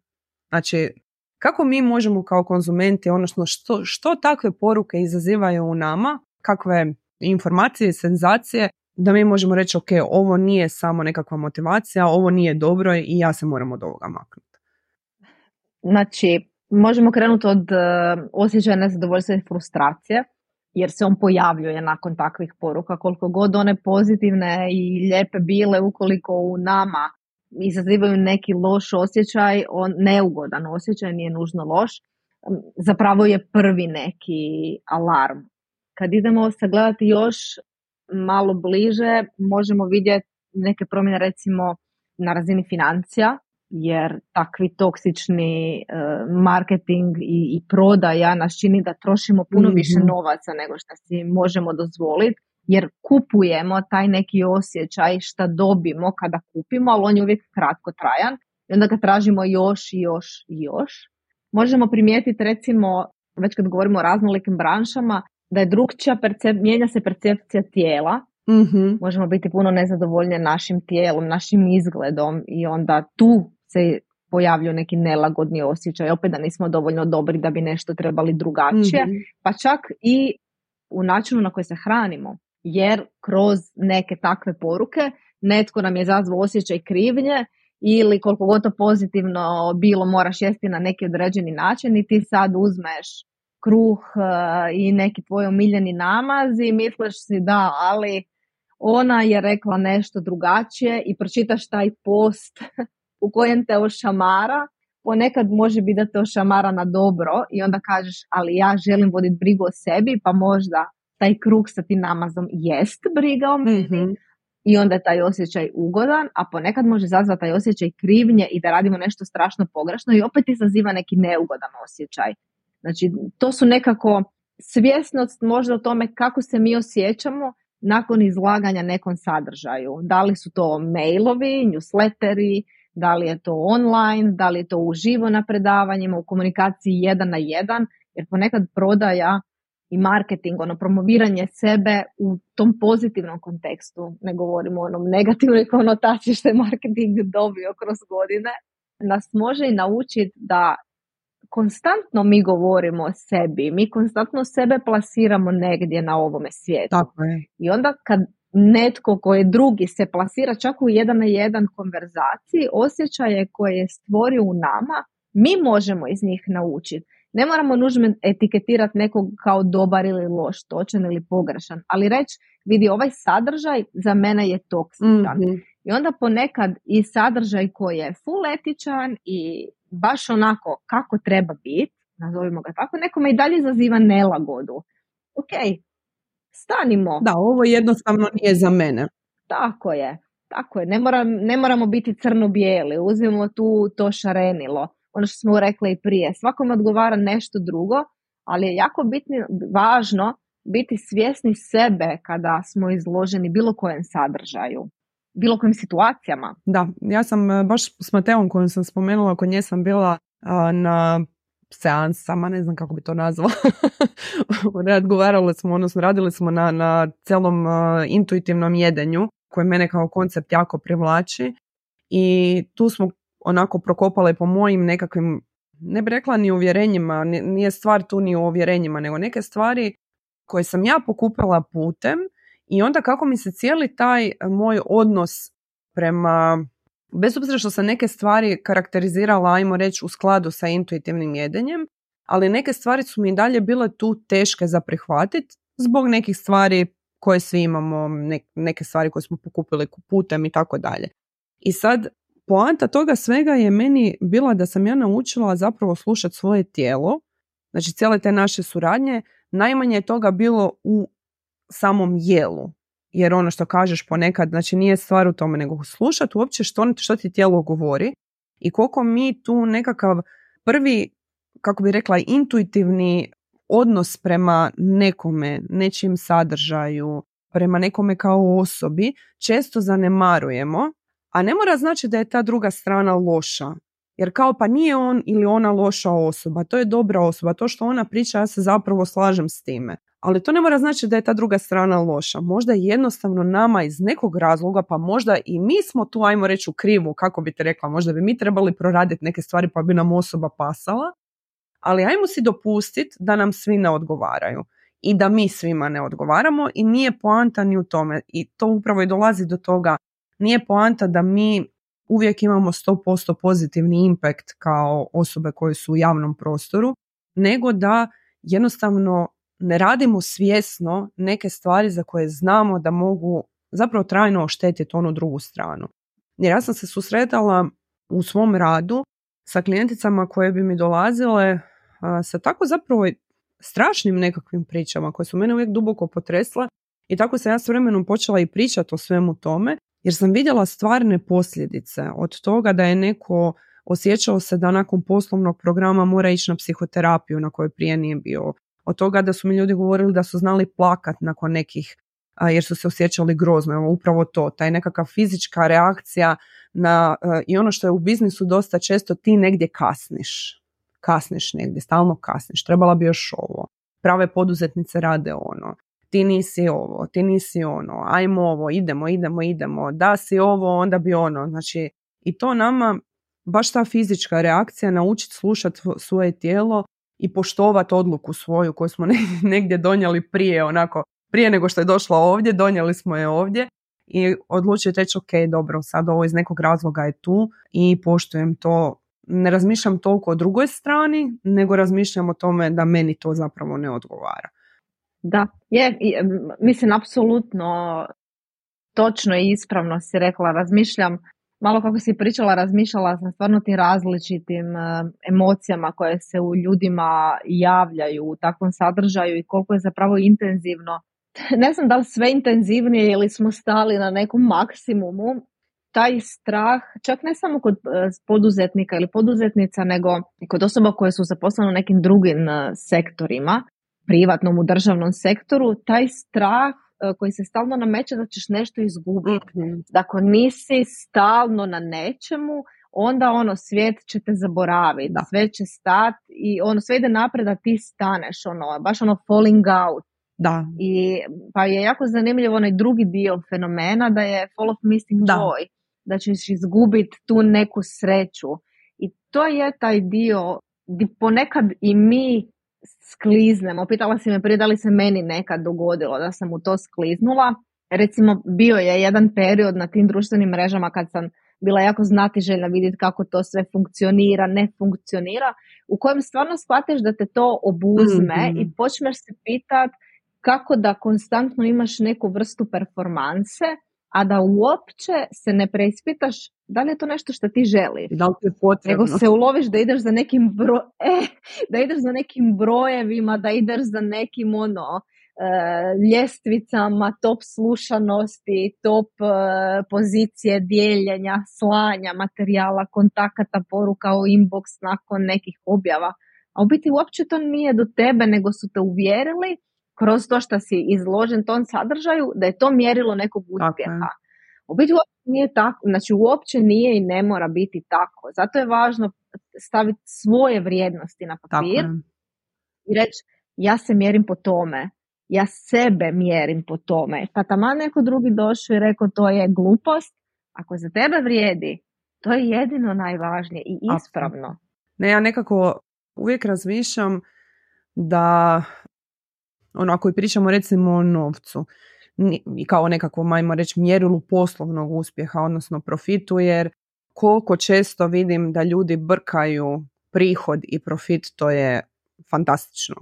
Znači, kako mi možemo kao konzumenti, odnosno što takve poruke izazivaju u nama, kakve informacije i senzacije da mi možemo reći ok, ovo nije samo nekakva motivacija, ovo nije dobro i ja se moram od ovoga maknuti. Znači, možemo krenuti od osjećaja nezadovoljstva i frustracije, jer se on pojavljuje nakon takvih poruka, koliko god one pozitivne i lijepe bile, ukoliko u nama izazivaju neki loš osjećaj, neugodan osjećaj, nije nužno loš, zapravo je prvi neki alarm. Kad idemo sagledati još malo bliže, možemo vidjeti neke promjene recimo na razini financija, jer takvi toksični marketing i prodaja nas čini da trošimo puno više novaca nego što si možemo dozvoliti, jer kupujemo taj neki osjećaj šta dobimo kada kupimo, ali on je uvijek kratkotrajan i onda ga tražimo još i još i još. Možemo primijetiti recimo, već kad govorimo o raznolikim branšama, da je drugčija mijenja se percepcija tijela. Možemo biti puno nezadovoljni našim tijelom, našim izgledom i onda tu se pojavljaju neki nelagodni osjećaj, opet da nismo dovoljno dobri da bi nešto trebali drugačije, pa čak i u načinu na koji se hranimo, jer kroz neke takve poruke netko nam je izazvao osjećaj krivnje ili koliko god to pozitivno bilo moraš jesti na neki određeni način i ti sad uzmeš kruh i neki tvoj omiljeni namaz i misliš si da, ali ona je rekla nešto drugačije i pročitaš taj post u kojem te ošamara, ponekad može biti da te ošamara na dobro i onda kažeš, ali ja želim voditi brigu o sebi, pa možda taj kruh sa tim namazom jest briga o meni i onda je taj osjećaj ugodan, a ponekad može izazvati taj osjećaj krivnje i da radimo nešto strašno pogrešno i opet izaziva neki neugodan osjećaj. Znači, to su nekako svjesnost možda o tome kako se mi osjećamo nakon izlaganja nekom sadržaju. Da li su to mailovi, newsletteri, da li je to online, da li je to uživo na predavanjima, u komunikaciji 1 na 1, jer ponekad prodaja i marketing, promoviranje sebe u tom pozitivnom kontekstu, ne govorimo o onom negativnoj konotaciji što je marketing dobio kroz godine, nas može i naučiti da konstantno mi govorimo o sebi, mi konstantno sebe plasiramo negdje na ovome svijetu. Tako je. I onda kad netko koji drugi se plasira čak u 1 na 1 konverzaciji, osjećaje koje je stvorio u nama, mi možemo iz njih naučiti. Ne moramo nužno etiketirati nekog kao dobar ili loš, točan ili pogrešan, ali reći, vidi, ovaj sadržaj za mene je toksičan. I onda ponekad i sadržaj koji je full etičan i baš onako kako treba biti, nazovimo ga tako, nekome i dalje izaziva nelagodu. Ok, stanimo. Da, ovo jednostavno nije za mene. Tako je. Ne moramo biti crno-bijeli, uzmemo tu to šarenilo. Ono što smo rekli i prije, svakome odgovara nešto drugo, ali je jako važno biti svjesni sebe kada smo izloženi bilo kojem sadržaju, bilo kojim situacijama. Da, ja sam baš s Mateom kojom sam spomenula, kod nje sam bila na seansama, ne znam kako bi to nazvala. Razgovarali smo, odnosno radili smo na celom intuitivnom jedenju koje mene kao koncept jako privlači i tu smo onako prokopale po mojim nekakvim, ne bih rekla ni uvjerenjima, nije stvar tu ni u uvjerenjima, nego neke stvari koje sam ja pokupila putem i onda kako mi se cijeli taj moj odnos prema, bez obzira što sam neke stvari karakterizirala, ajmo reći, u skladu sa intuitivnim jedenjem, ali neke stvari su mi i dalje bile tu teške za prihvatiti zbog nekih stvari koje svi imamo, neke stvari koje smo pokupili putem i tako dalje. I sad, poanta toga svega je meni bila da sam ja naučila zapravo slušati svoje tijelo, znači cijele te naše suradnje, najmanje je toga bilo u samom jelu. Jer ono što kažeš ponekad, znači nije stvar u tome, nego slušati uopće što ti tijelo govori i koliko mi tu nekakav prvi, kako bi rekla, intuitivni odnos prema nekome, nečim sadržaju, prema nekome kao osobi, često zanemarujemo, a ne mora znači da je ta druga strana loša. Jer kao pa nije on ili ona loša osoba, to je dobra osoba, to što ona priča ja se zapravo slažem s time. Ali to ne mora znači da je ta druga strana loša. Možda jednostavno nama iz nekog razloga, pa možda i mi smo tu, ajmo reći, u krivu, kako bi te rekla, možda bi mi trebali proraditi neke stvari pa bi nam osoba pasala, ali ajmo si dopustiti da nam svi ne odgovaraju. i da mi svima ne odgovaramo i nije poanta ni u tome. I to upravo i dolazi do toga. Nije poanta da mi uvijek imamo 100% pozitivni impact kao osobe koje su u javnom prostoru, nego da jednostavno ne radimo svjesno neke stvari za koje znamo da mogu zapravo trajno oštetiti onu drugu stranu. Jer ja sam se susretala u svom radu sa klijenticama koje bi mi dolazile sa tako zapravo strašnim nekakvim pričama koje su mene uvijek duboko potresle i tako sam ja s vremenom počela i pričati o svemu tome jer sam vidjela stvarne posljedice od toga da je neko osjećao se da nakon poslovnog programa mora ići na psihoterapiju na kojoj prije nije bio. Od toga da su mi ljudi govorili da su znali plakat nakon nekih jer su se osjećali grozno. Evo, upravo to, taj nekakva fizička reakcija na, i ono što je u biznisu dosta često, ti negdje kasniš negdje, stalno kasniš, trebala bi još ovo, prave poduzetnice rade ono, ti nisi ovo, ti nisi ono, ajmo ovo, idemo, da si ovo, onda bi ono. Znači, i to nama, baš ta fizička reakcija, naučiti slušati svoje tijelo i poštovati odluku svoju koju smo negdje donijeli prije nego što je došla ovdje, donijeli smo je ovdje i odlučiti reći ok, dobro, sad ovo iz nekog razloga je tu i poštujem to. Ne razmišljam toliko o drugoj strani, nego razmišljam o tome da meni to zapravo ne odgovara. Da, mislim, apsolutno točno i ispravno si rekla, razmišljam, malo kako si pričala, razmišljala sam stvarno tim različitim emocijama koje se u ljudima javljaju u takvom sadržaju i koliko je zapravo intenzivno. Ne znam da li sve intenzivnije ili smo stali na nekom maksimumu, taj strah, čak ne samo kod poduzetnika ili poduzetnica, nego i kod osoba koje su zaposlene u nekim drugim sektorima, privatnom, u državnom sektoru, taj strah koji se stalno nameće da ćeš nešto izgubiti. Da ako nisi stalno na nečemu, onda svijet će te zaboraviti, sve će stati i sve ide napred da ti staneš, baš falling out. Da. I pa je jako zanimljivo onaj drugi dio fenomena da je fall of missing joy, da ćeš izgubiti tu neku sreću. I to je taj dio gdje ponekad i mi skliznemo. Pitala si me prije da li se meni nekad dogodilo da sam u to skliznula. Recimo, bio je jedan period na tim društvenim mrežama kad sam bila jako znatiželjna vidjeti kako to sve funkcionira, ne funkcionira, u kojem stvarno shvatiš da te to obuzme i počneš se pitati kako da konstantno imaš neku vrstu performanse, a da uopće se ne preispitaš da li je to nešto što ti želiš. Da li ti je potrebno. Nego se uloviš da ideš za nekim da ideš za nekim brojevima, da ideš za nekim ljestvicama, top slušanosti, top pozicije dijeljenja, slanja materijala, kontakata, poruka u inbox nakon nekih objava. A u biti uopće to nije do tebe, nego su te uvjerili kroz to što si izložen tom sadržaju da je to mjerilo nekog uspjeha. U biti uopće nije tako, znači uopće nije i ne mora biti tako. Zato je važno staviti svoje vrijednosti na papir i reći ja se mjerim po tome, ja sebe mjerim po tome. Pa taman neko drugi došao i rekao to je glupost, ako za tebe vrijedi, to je jedino najvažnije i ispravno. Ne, ja nekako uvijek razmišljam da ako i pričamo recimo o novcu i kao nekakvom, ajmo reći, mjerilu poslovnog uspjeha, odnosno profitu, jer koliko često vidim da ljudi brkaju prihod i profit, to je fantastično.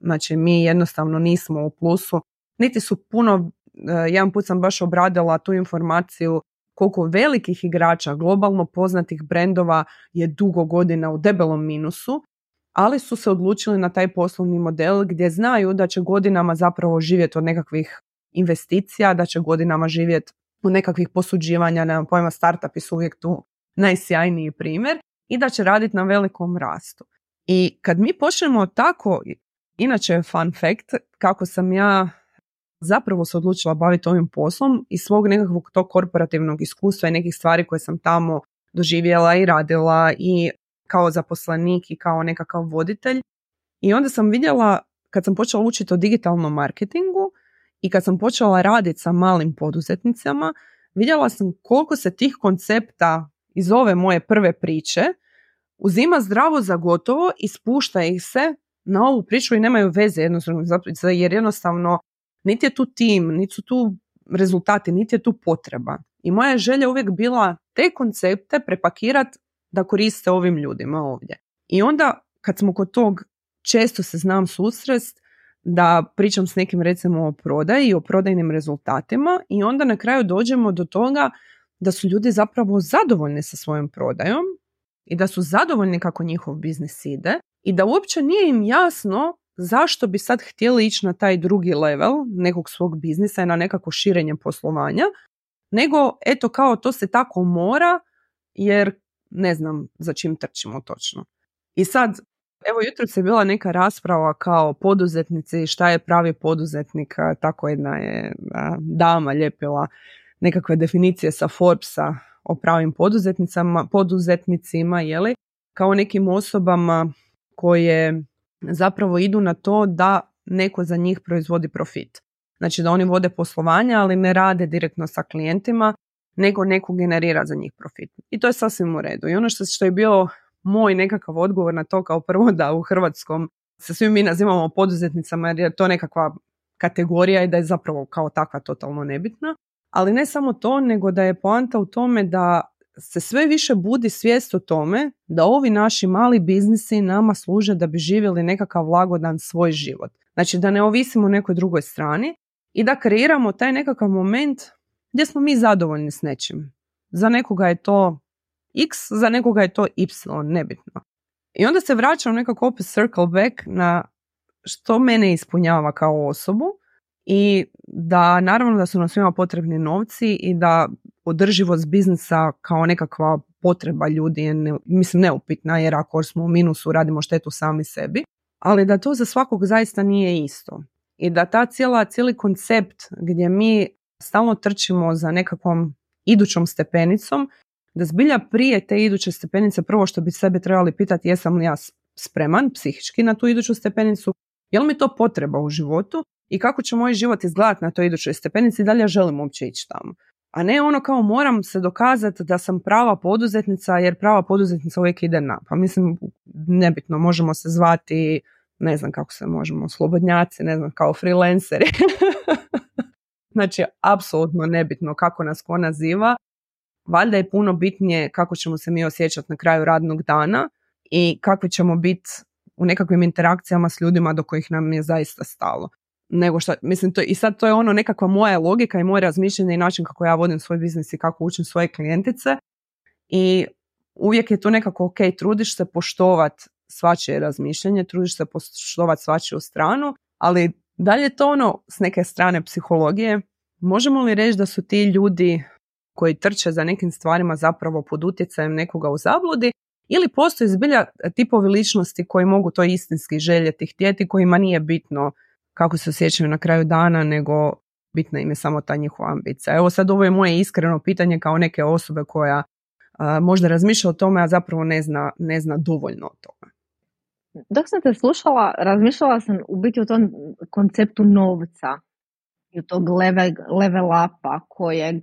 Znači, mi jednostavno nismo u plusu, niti su puno, jedan put sam baš obradila tu informaciju koliko velikih igrača, globalno poznatih brendova je dugo godina u debelom minusu, ali su se odlučili na taj poslovni model gdje znaju da će godinama zapravo živjeti od nekakvih investicija, da će godinama živjeti od nekakvih posuđivanja, nemam pojma, startupi su uvijek tu najsjajniji primjer i da će raditi na velikom rastu. I kad mi počnemo tako, inače fun fact, kako sam ja zapravo se odlučila baviti ovim poslom iz svog nekakvog tog korporativnog iskustva i nekih stvari koje sam tamo doživjela i radila i kao zaposlenik i kao nekakav voditelj. I onda sam vidjela, kad sam počela učiti o digitalnom marketingu i kad sam počela raditi sa malim poduzetnicama, vidjela sam koliko se tih koncepta iz ove moje prve priče uzima zdravo za gotovo i spušta ih se na ovu priču i nemaju veze jednostavno, jer jednostavno niti je tu tim, niti su tu rezultati, niti je tu potreba. I moja želja uvijek bila te koncepte prepakirati da koriste ovim ljudima ovdje. I onda kad smo kod tog, često se znam susrest da pričam s nekim recimo o prodaji i o prodajnim rezultatima i onda na kraju dođemo do toga da su ljudi zapravo zadovoljni sa svojom prodajom i da su zadovoljni kako njihov biznis ide i da uopće nije im jasno zašto bi sad htjeli ići na taj drugi level nekog svog biznisa i na nekako širenje poslovanja, nego eto kao to se tako mora jer ne znam za čim trčimo točno. I sad, evo jutros je bila neka rasprava kao poduzetnici, šta je pravi poduzetnik, tako jedna je dama lijepila nekakve definicije sa Forbesa o pravim poduzetnicima, jeli, kao nekim osobama koje zapravo idu na to da neko za njih proizvodi profit. Znači da oni vode poslovanja, ali ne rade direktno sa klijentima, nego neko generira za njih profit. I to je sasvim u redu. I ono što je bio moj nekakav odgovor na to, kao prvo da u hrvatskom se svi mi nazivamo poduzetnicama jer je to nekakva kategorija i da je zapravo kao takva totalno nebitna. Ali ne samo to, nego da je poanta u tome da se sve više budi svijest o tome da ovi naši mali biznisi nama služe da bi živjeli nekakav lagodan svoj život. Znači da ne ovisimo o nekoj drugoj strani i da kreiramo taj nekakav moment gdje smo mi zadovoljni s nečim. Za nekoga je to X, za nekoga je to Y, nebitno. I onda se vraćam nekako opet circle back na što mene ispunjava kao osobu i da naravno da su nam svima potrebni novci i da održivost biznisa kao nekakva potreba ljudi je neupitna jer ako smo u minusu radimo štetu sami sebi, ali da to za svakog zaista nije isto. I da cijeli koncept gdje mi stalno trčimo za nekakvom idućom stepenicom, da zbilja prije te iduće stepenice prvo što bi sebe trebali pitati jesam li ja spreman psihički na tu iduću stepenicu, je li mi to potreba u životu i kako će moj život izgledati na toj idućoj stepenici i da li ja želim uopće ići tamo. A ne ono kao moram se dokazati da sam prava poduzetnica jer prava poduzetnica uvijek ide na. Pa mislim, nebitno, možemo se zvati, ne znam kako se možemo, slobodnjaci, ne znam, kao freelanceri. Znači, apsolutno nebitno kako nas ko naziva. Valjda je puno bitnije kako ćemo se mi osjećati na kraju radnog dana i kakvi ćemo biti u nekakvim interakcijama s ljudima do kojih nam je zaista stalo. Nego što, mislim, i sad to je ono nekakva moja logika i moje razmišljanje i način kako ja vodim svoj biznis i kako učim svoje klijentice i uvijek je to nekako ok, trudiš se poštovati svačije razmišljanje, trudiš se poštovati svačiju stranu, ali da li je to ono s neke strane psihologije, možemo li reći da su ti ljudi koji trče za nekim stvarima zapravo pod utjecajem nekoga u zabludi ili postoji zbilja tipovi ličnosti koji mogu to istinski željeti, htjeti, kojima nije bitno kako se osjećaju na kraju dana, nego bitna im je samo ta njihova ambicija. Evo sad ovo je moje iskreno pitanje kao neke osobe koja možda razmišlja o tome, a zapravo ne zna dovoljno o tome. Dok sam te slušala, razmišljala sam u biti o tom konceptu novca i tog level upa kojeg,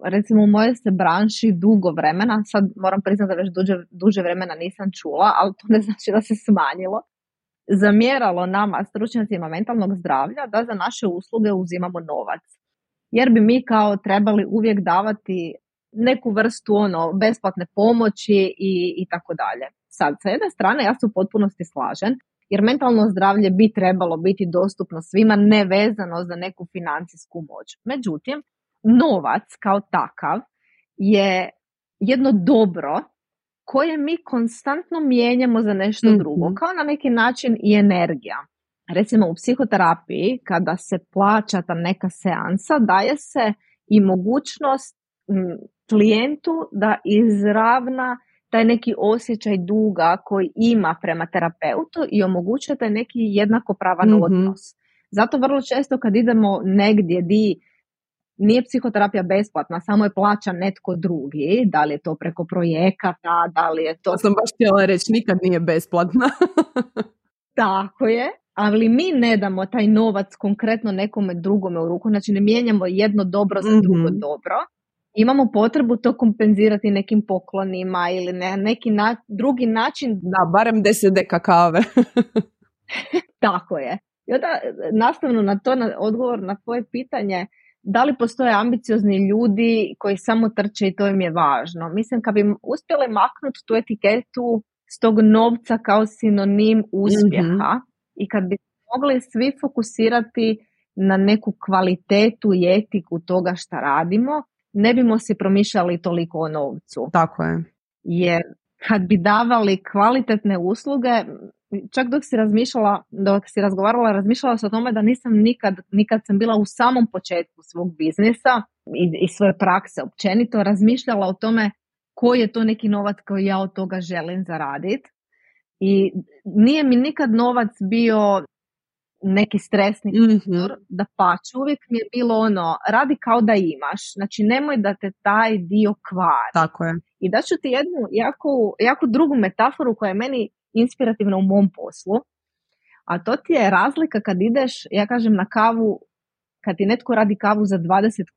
recimo u mojoj se branši dugo vremena, sad moram priznati da već duže vremena nisam čula, ali to ne znači da se smanjilo, zamjeralo nama stručnjacima mentalnog zdravlja da za naše usluge uzimamo novac. Jer bi mi kao trebali uvijek davati neku vrstu besplatne pomoći i tako dalje. Sad, sa jedne strane ja se u potpunosti slažem, jer mentalno zdravlje bi trebalo biti dostupno svima nevezano za neku financijsku moć. Međutim, novac kao takav je jedno dobro koje mi konstantno mijenjamo za nešto drugo, kao na neki način i energija. Recimo u psihoterapiji, kada se plaća ta neka seansa, daje se i mogućnost klijentu da izravna taj neki osjećaj duga koji ima prema terapeutu i omogućuje taj neki jednakopravan odnos. Zato vrlo često kad idemo negdje di nije psihoterapija besplatna, samo je plaća netko drugi, da li je to preko projekata, da li je to... To sam baš htjela reći, nikad nije besplatna. Tako je, ali mi ne damo taj novac konkretno nekome drugome u ruku, znači ne mijenjamo jedno dobro za drugo dobro. Imamo potrebu to kompenzirati nekim poklonima ili na neki drugi način. Da, barem 10 deka kave. Tako je. I onda nastavno na to, na odgovor na tvoje pitanje, da li postoje ambiciozni ljudi koji samo trče i to im je važno. Mislim, kad bi uspjeli maknuti tu etiketu s tog novca kao sinonim uspjeha i kad bi mogli svi fokusirati na neku kvalitetu i etiku toga šta radimo, ne bimo si promišljali toliko o novcu. Tako je. Jer kad bi davali kvalitetne usluge, čak dok si razgovarala, razmišljala sam o tome da nisam nikad sam bila u samom početku svog biznisa i svoje prakse općenito, razmišljala o tome koji je to neki novac koji ja od toga želim zaraditi. I nije mi nikad novac bio neki stresni faktor, da pače, uvijek mi je bilo radi kao da imaš, znači nemoj da te taj dio kvari. Tako je. I daću ti jednu jako drugu metaforu koja je meni inspirativna u mom poslu, a to ti je razlika kad ideš, ja kažem, na kavu, kad ti netko radi kavu za 20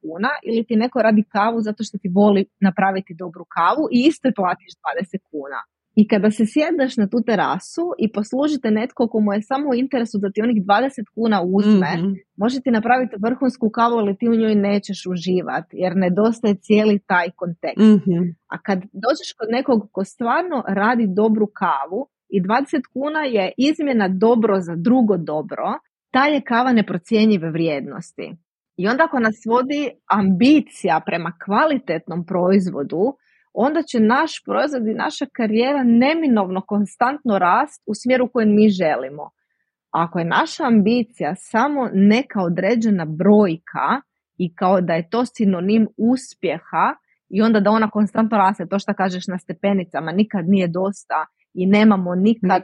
kuna ili ti neko radi kavu zato što ti voli napraviti dobru kavu i isto platiš 20 kuna. I kada se sjedneš na tu terasu i poslužite netko komu je samo u interesu da ti onih 20 kuna uzme, može ti napraviti vrhunsku kavu, ali ti u njoj nećeš uživati jer nedostaje cijeli taj kontekst. A kad dođeš kod nekog ko stvarno radi dobru kavu i 20 kuna je izmjena dobro za drugo dobro, ta je kava neprocjenjive vrijednosti. I onda ako nas vodi ambicija prema kvalitetnom proizvodu, onda će naš proizvod i naša karijera neminovno konstantno rast u smjeru kojem mi želimo. Ako je naša ambicija samo neka određena brojka i kao da je to sinonim uspjeha i onda da ona konstantno raste, to što kažeš na stepenicama, nikad nije dosta i nemamo nikad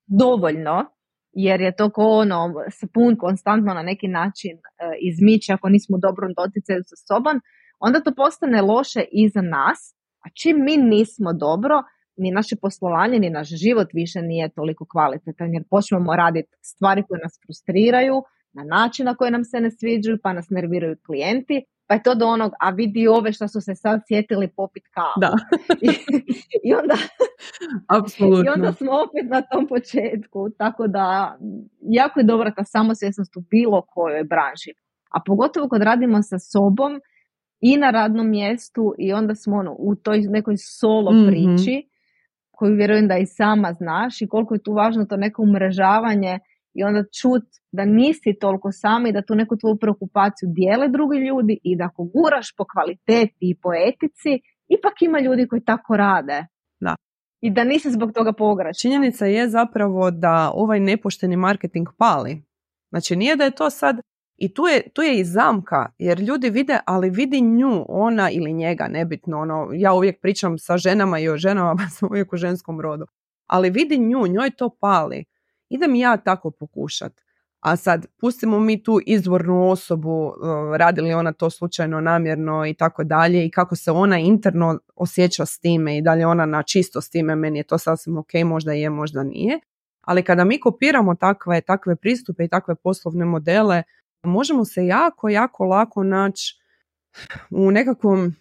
dovoljno, jer je to ko spun konstantno na neki način izmiče ako nismo u dobrom doticaju sa sobom, onda to postane loše i za nas, a čim mi nismo dobro, ni naše poslovanje, ni naš život više nije toliko kvalitetan, jer počnemo raditi stvari koje nas frustriraju, na način na koji nam se ne sviđaju, pa nas nerviraju klijenti, pa je to do onog, a vidi ove što su se sad sjetili popit kavu. Da. I onda, apsolutno. I onda smo opet na tom početku, tako da jako je dobra ta samosvjesnost u bilo kojoj branši. A pogotovo kad radimo sa sobom i na radnom mjestu i onda smo u toj nekoj solo priči, koju vjerujem da i sama znaš i koliko je tu važno to neko umrežavanje i onda čut da nisi toliko sam i da tu neku tvoju preokupaciju dijele drugi ljudi i da ako guraš po kvaliteti i po etici, ipak ima ljudi koji tako rade. Da. I da nisi zbog toga pogrešna. Činjenica je zapravo da ovaj nepošteni marketing pali. Znači nije da je to sad, i tu je i zamka, jer ljudi vide, ali vidi nju, ona ili njega, nebitno, ja uvijek pričam sa ženama i o ženama, pa sam uvijek u ženskom rodu, ali vidi nju, njoj to pali. Idem ja tako pokušat. A sad, pustimo mi tu izvornu osobu, radi li ona to slučajno, namjerno i tako dalje i kako se ona interno osjeća s time i da li ona na čisto s time, meni je to sasvim ok, možda je, možda nije. Ali kada mi kopiramo takve pristupe i takve poslovne modele, možemo se jako, jako lako naći u nekakvom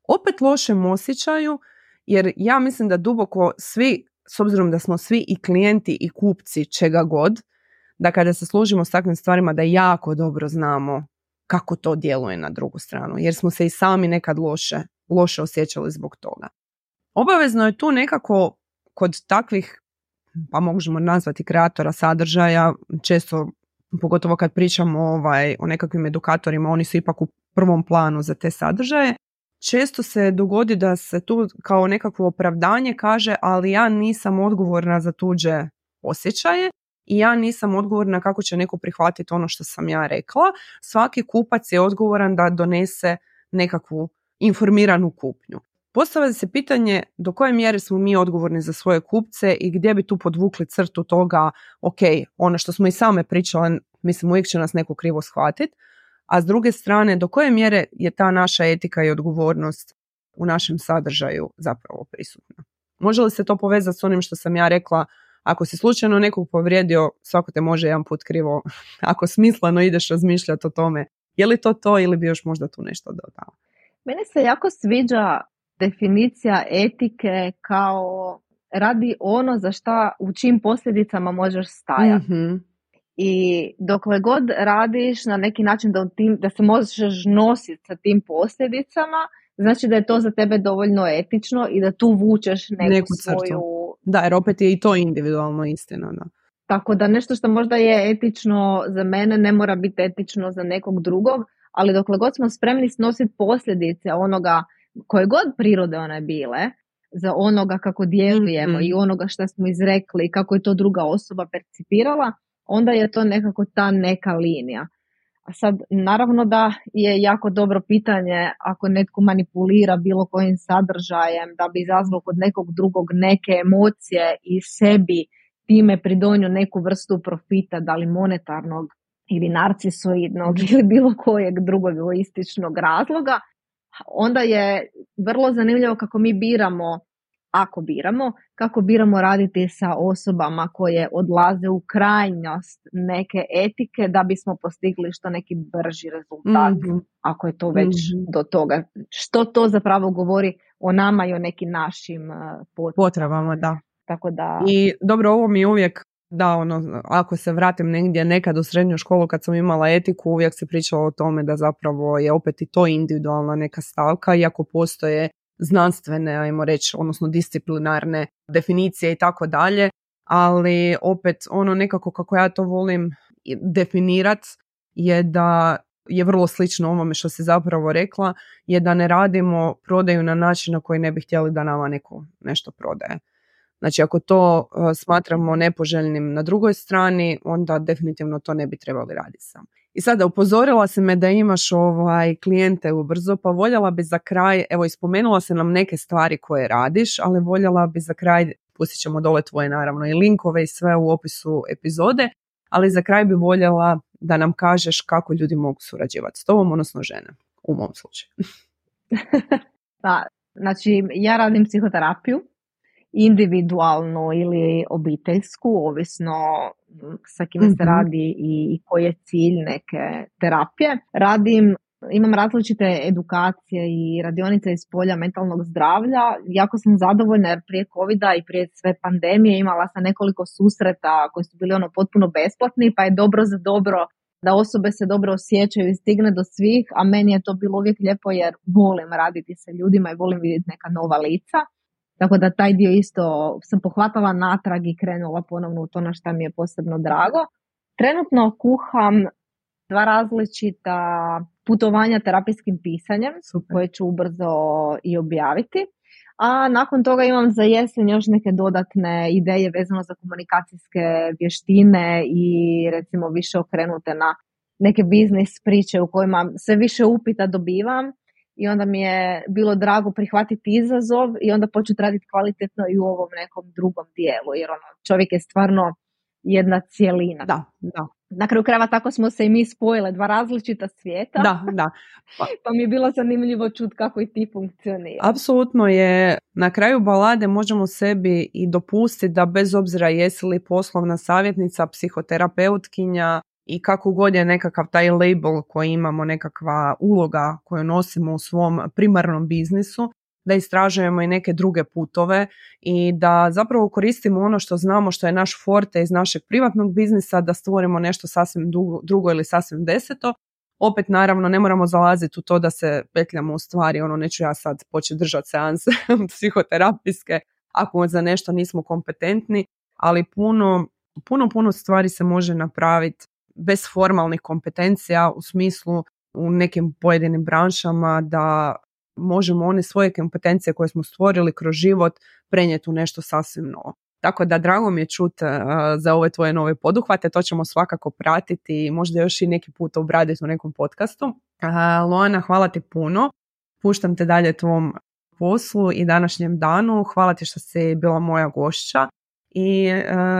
opet lošem osjećaju, jer ja mislim da duboko svi, s obzirom da smo svi i klijenti i kupci čega god, da kada se služimo s takvim stvarima da jako dobro znamo kako to djeluje na drugu stranu, jer smo se i sami nekad loše osjećali zbog toga. Obavezno je tu nekako kod takvih, pa možemo nazvati kreatora sadržaja, često, pogotovo kad pričamo o nekakvim edukatorima, oni su ipak u prvom planu za te sadržaje, često se dogodi da se tu kao nekakvo opravdanje kaže, ali ja nisam odgovorna za tuđe osjećaje i ja nisam odgovorna kako će neko prihvatiti ono što sam ja rekla. Svaki kupac je odgovoran da donese nekakvu informiranu kupnju. Postavlja se pitanje do koje mjere smo mi odgovorni za svoje kupce i gdje bi tu podvukli crtu toga, ok, ono što smo i same pričale, mislim uvijek će nas neko krivo shvatiti, a s druge strane do koje mjere je ta naša etika i odgovornost u našem sadržaju zapravo prisutna. Može li se to povezati s onim što sam ja rekla, ako si slučajno nekog povrijedio, svako te može jedan put krivo, ako smisleno ideš razmišljati o tome, je li to ili bi još možda tu nešto dodao? Meni se jako sviđa definicija etike kao radi ono za šta, u čim posljedicama možeš stajati. Mm-hmm. I dokle god radiš na neki način da se možeš nositi sa tim posljedicama, znači da je to za tebe dovoljno etično i da tu vučeš neku svoju... Da, jer opet je i to individualno istina. Da. Tako da nešto što možda je etično za mene ne mora biti etično za nekog drugog, ali dokle god smo spremni snositi posljedice onoga, koje god prirode one bile, za onoga kako djelujemo i onoga što smo izrekli i kako je to druga osoba percipirala, onda je to nekako ta neka linija. A sad, naravno da je jako dobro pitanje ako netko manipulira bilo kojim sadržajem da bi izazvao kod nekog drugog neke emocije i sebi time pridonio neku vrstu profita, da li monetarnog ili narcisoidnog ili bilo kojeg drugog egoističnog razloga, onda je vrlo zanimljivo kako mi biramo, kako biramo raditi sa osobama koje odlaze u krajnost neke etike da bismo postigli što neki brži rezultat, ako je to već do toga. Što to zapravo govori o nama i o nekim našim potrebama, da. Tako da... I dobro, ovo mi je uvijek, ako se vratim negdje nekad u srednju školu kad sam imala etiku, uvijek se pričalo o tome da zapravo je opet i to individualna neka stavka, iako postoje znanstvene, ajmo reći, odnosno disciplinarne definicije i tako dalje, ali opet nekako kako ja to volim definirat je da je vrlo slično ovome što si zapravo rekla, je da ne radimo prodaju na način na koji ne bi htjeli da nama neko nešto prodaje. Znači, ako to smatramo nepoželjnim na drugoj strani, onda definitivno to ne bi trebali raditi sam. I sada upozorila si me da imaš klijente ubrzo, pa voljela bi za kraj, evo ispomenula se nam neke stvari koje radiš, ali voljela bi za kraj, pustit ćemo dole tvoje naravno i linkove i sve u opisu epizode, ali za kraj bi voljela da nam kažeš kako ljudi mogu surađivati s tobom, odnosno žene, u mom slučaju. Pa, znači, ja radim psihoterapiju, individualnu ili obiteljsku, ovisno sa kime se radi i koji je cilj neke terapije. Imam različite edukacije i radionice iz polja mentalnog zdravlja. Jako sam zadovoljna jer prije covida i prije sve pandemije imala sam nekoliko susreta koji su bili potpuno besplatni, pa je dobro za dobro da osobe se dobro osjećaju i stigne do svih, a meni je to bilo uvijek lijepo jer volim raditi sa ljudima i volim vidjeti neka nova lica. Tako da taj dio isto sam pohvatala natrag i krenula ponovno u to na šta mi je posebno drago. Trenutno kuham 2 različita putovanja terapijskim pisanjem. Super. Koje ću ubrzo i objaviti. A nakon toga imam za jesen još neke dodatne ideje vezano za komunikacijske vještine i recimo više okrenute na neke biznis priče u kojima sve više upita dobivam. I onda mi je bilo drago prihvatiti izazov i onda početi raditi kvalitetno i u ovom nekom drugom dijelu. Jer čovjek je stvarno jedna cijelina. Da. Na kraju krajeva tako smo se i mi spojile, 2 različita svijeta. Da. Pa mi je bilo zanimljivo čuti kako i ti funkcionira. Apsolutno je, na kraju balade možemo sebi i dopustiti da bez obzira jesi li poslovna savjetnica, psihoterapeutkinja, i kako god je nekakav taj label koji imamo, nekakva uloga koju nosimo u svom primarnom biznisu, da istražujemo i neke druge putove i da zapravo koristimo ono što znamo, što je naš forte iz našeg privatnog biznisa, da stvorimo nešto sasvim drugo ili sasvim deseto. Opet naravno ne moramo zalaziti u to da se petljamo u stvari, neću ja sad početi držati seanse psihoterapijske ako za nešto nismo kompetentni, ali puno stvari se može napraviti bez formalnih kompetencija u smislu u nekim pojedinim branšama da možemo one svoje kompetencije koje smo stvorili kroz život prenijeti u nešto sasvim novo. Tako da drago mi je čuti za ove tvoje nove poduhvate, to ćemo svakako pratiti i možda još i neki put obraditi u nekom podcastu. Loana, hvala ti puno, puštam te dalje tvom poslu i današnjem danu, hvala ti što si bila moja gošća. I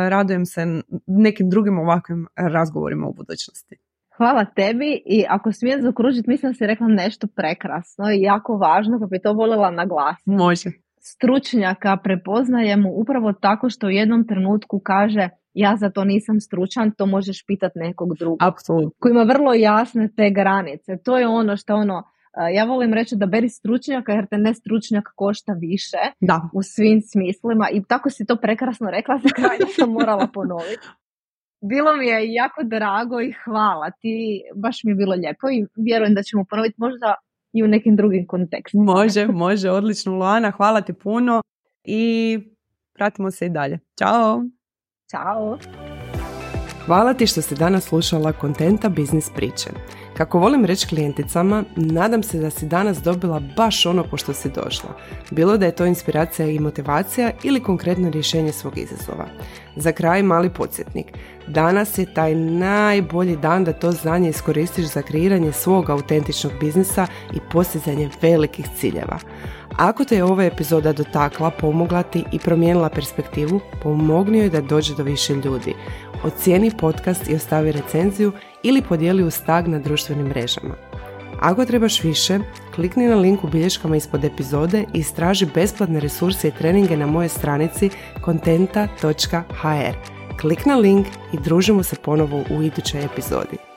radujem se nekim drugim ovakvim razgovorima u budućnosti. Hvala tebi i ako smijem zaokružiti, mislim da si rekla nešto prekrasno i jako važno, pa bi to voljela naglasiti. Može. Stručnjaka prepoznajemo upravo tako što u jednom trenutku kaže ja za to nisam stručan, to možeš pitati nekog drugog. Apsolutno. Koji ima vrlo jasne te granice. To je ono što Ja volim reći da beri stručnjaka jer te ne stručnjak košta više Da. u svim smislima i tako si to prekrasno rekla, za kraj sam morala ponoviti. Bilo mi je jako drago i hvala ti, baš mi je bilo lijepo i vjerujem da ćemo ponoviti možda i u nekim drugim kontekstima. Može, odlično Luana, hvala ti puno i pratimo se i dalje. Ćao! Ćao! Hvala ti što si danas slušala Kontenta biznis priče. Kako volim reći klijenticama, nadam se da si danas dobila baš ono po što si došla. Bilo da je to inspiracija i motivacija ili konkretno rješenje svog izazova. Za kraj mali podsjetnik. Danas je taj najbolji dan da to znanje iskoristiš za kreiranje svog autentičnog biznisa i postizanje velikih ciljeva. Ako te je ova epizoda dotakla, pomogla ti i promijenila perspektivu, pomogni joj da dođe do više ljudi. Ocijeni podcast i ostavi recenziju ili podijeli uz tag na društvenim mrežama. Ako trebaš više, klikni na link u bilješkama ispod epizode i istraži besplatne resurse i treninge na mojoj stranici kontenta.hr. Klik na link i družimo se ponovo u idućoj epizodi.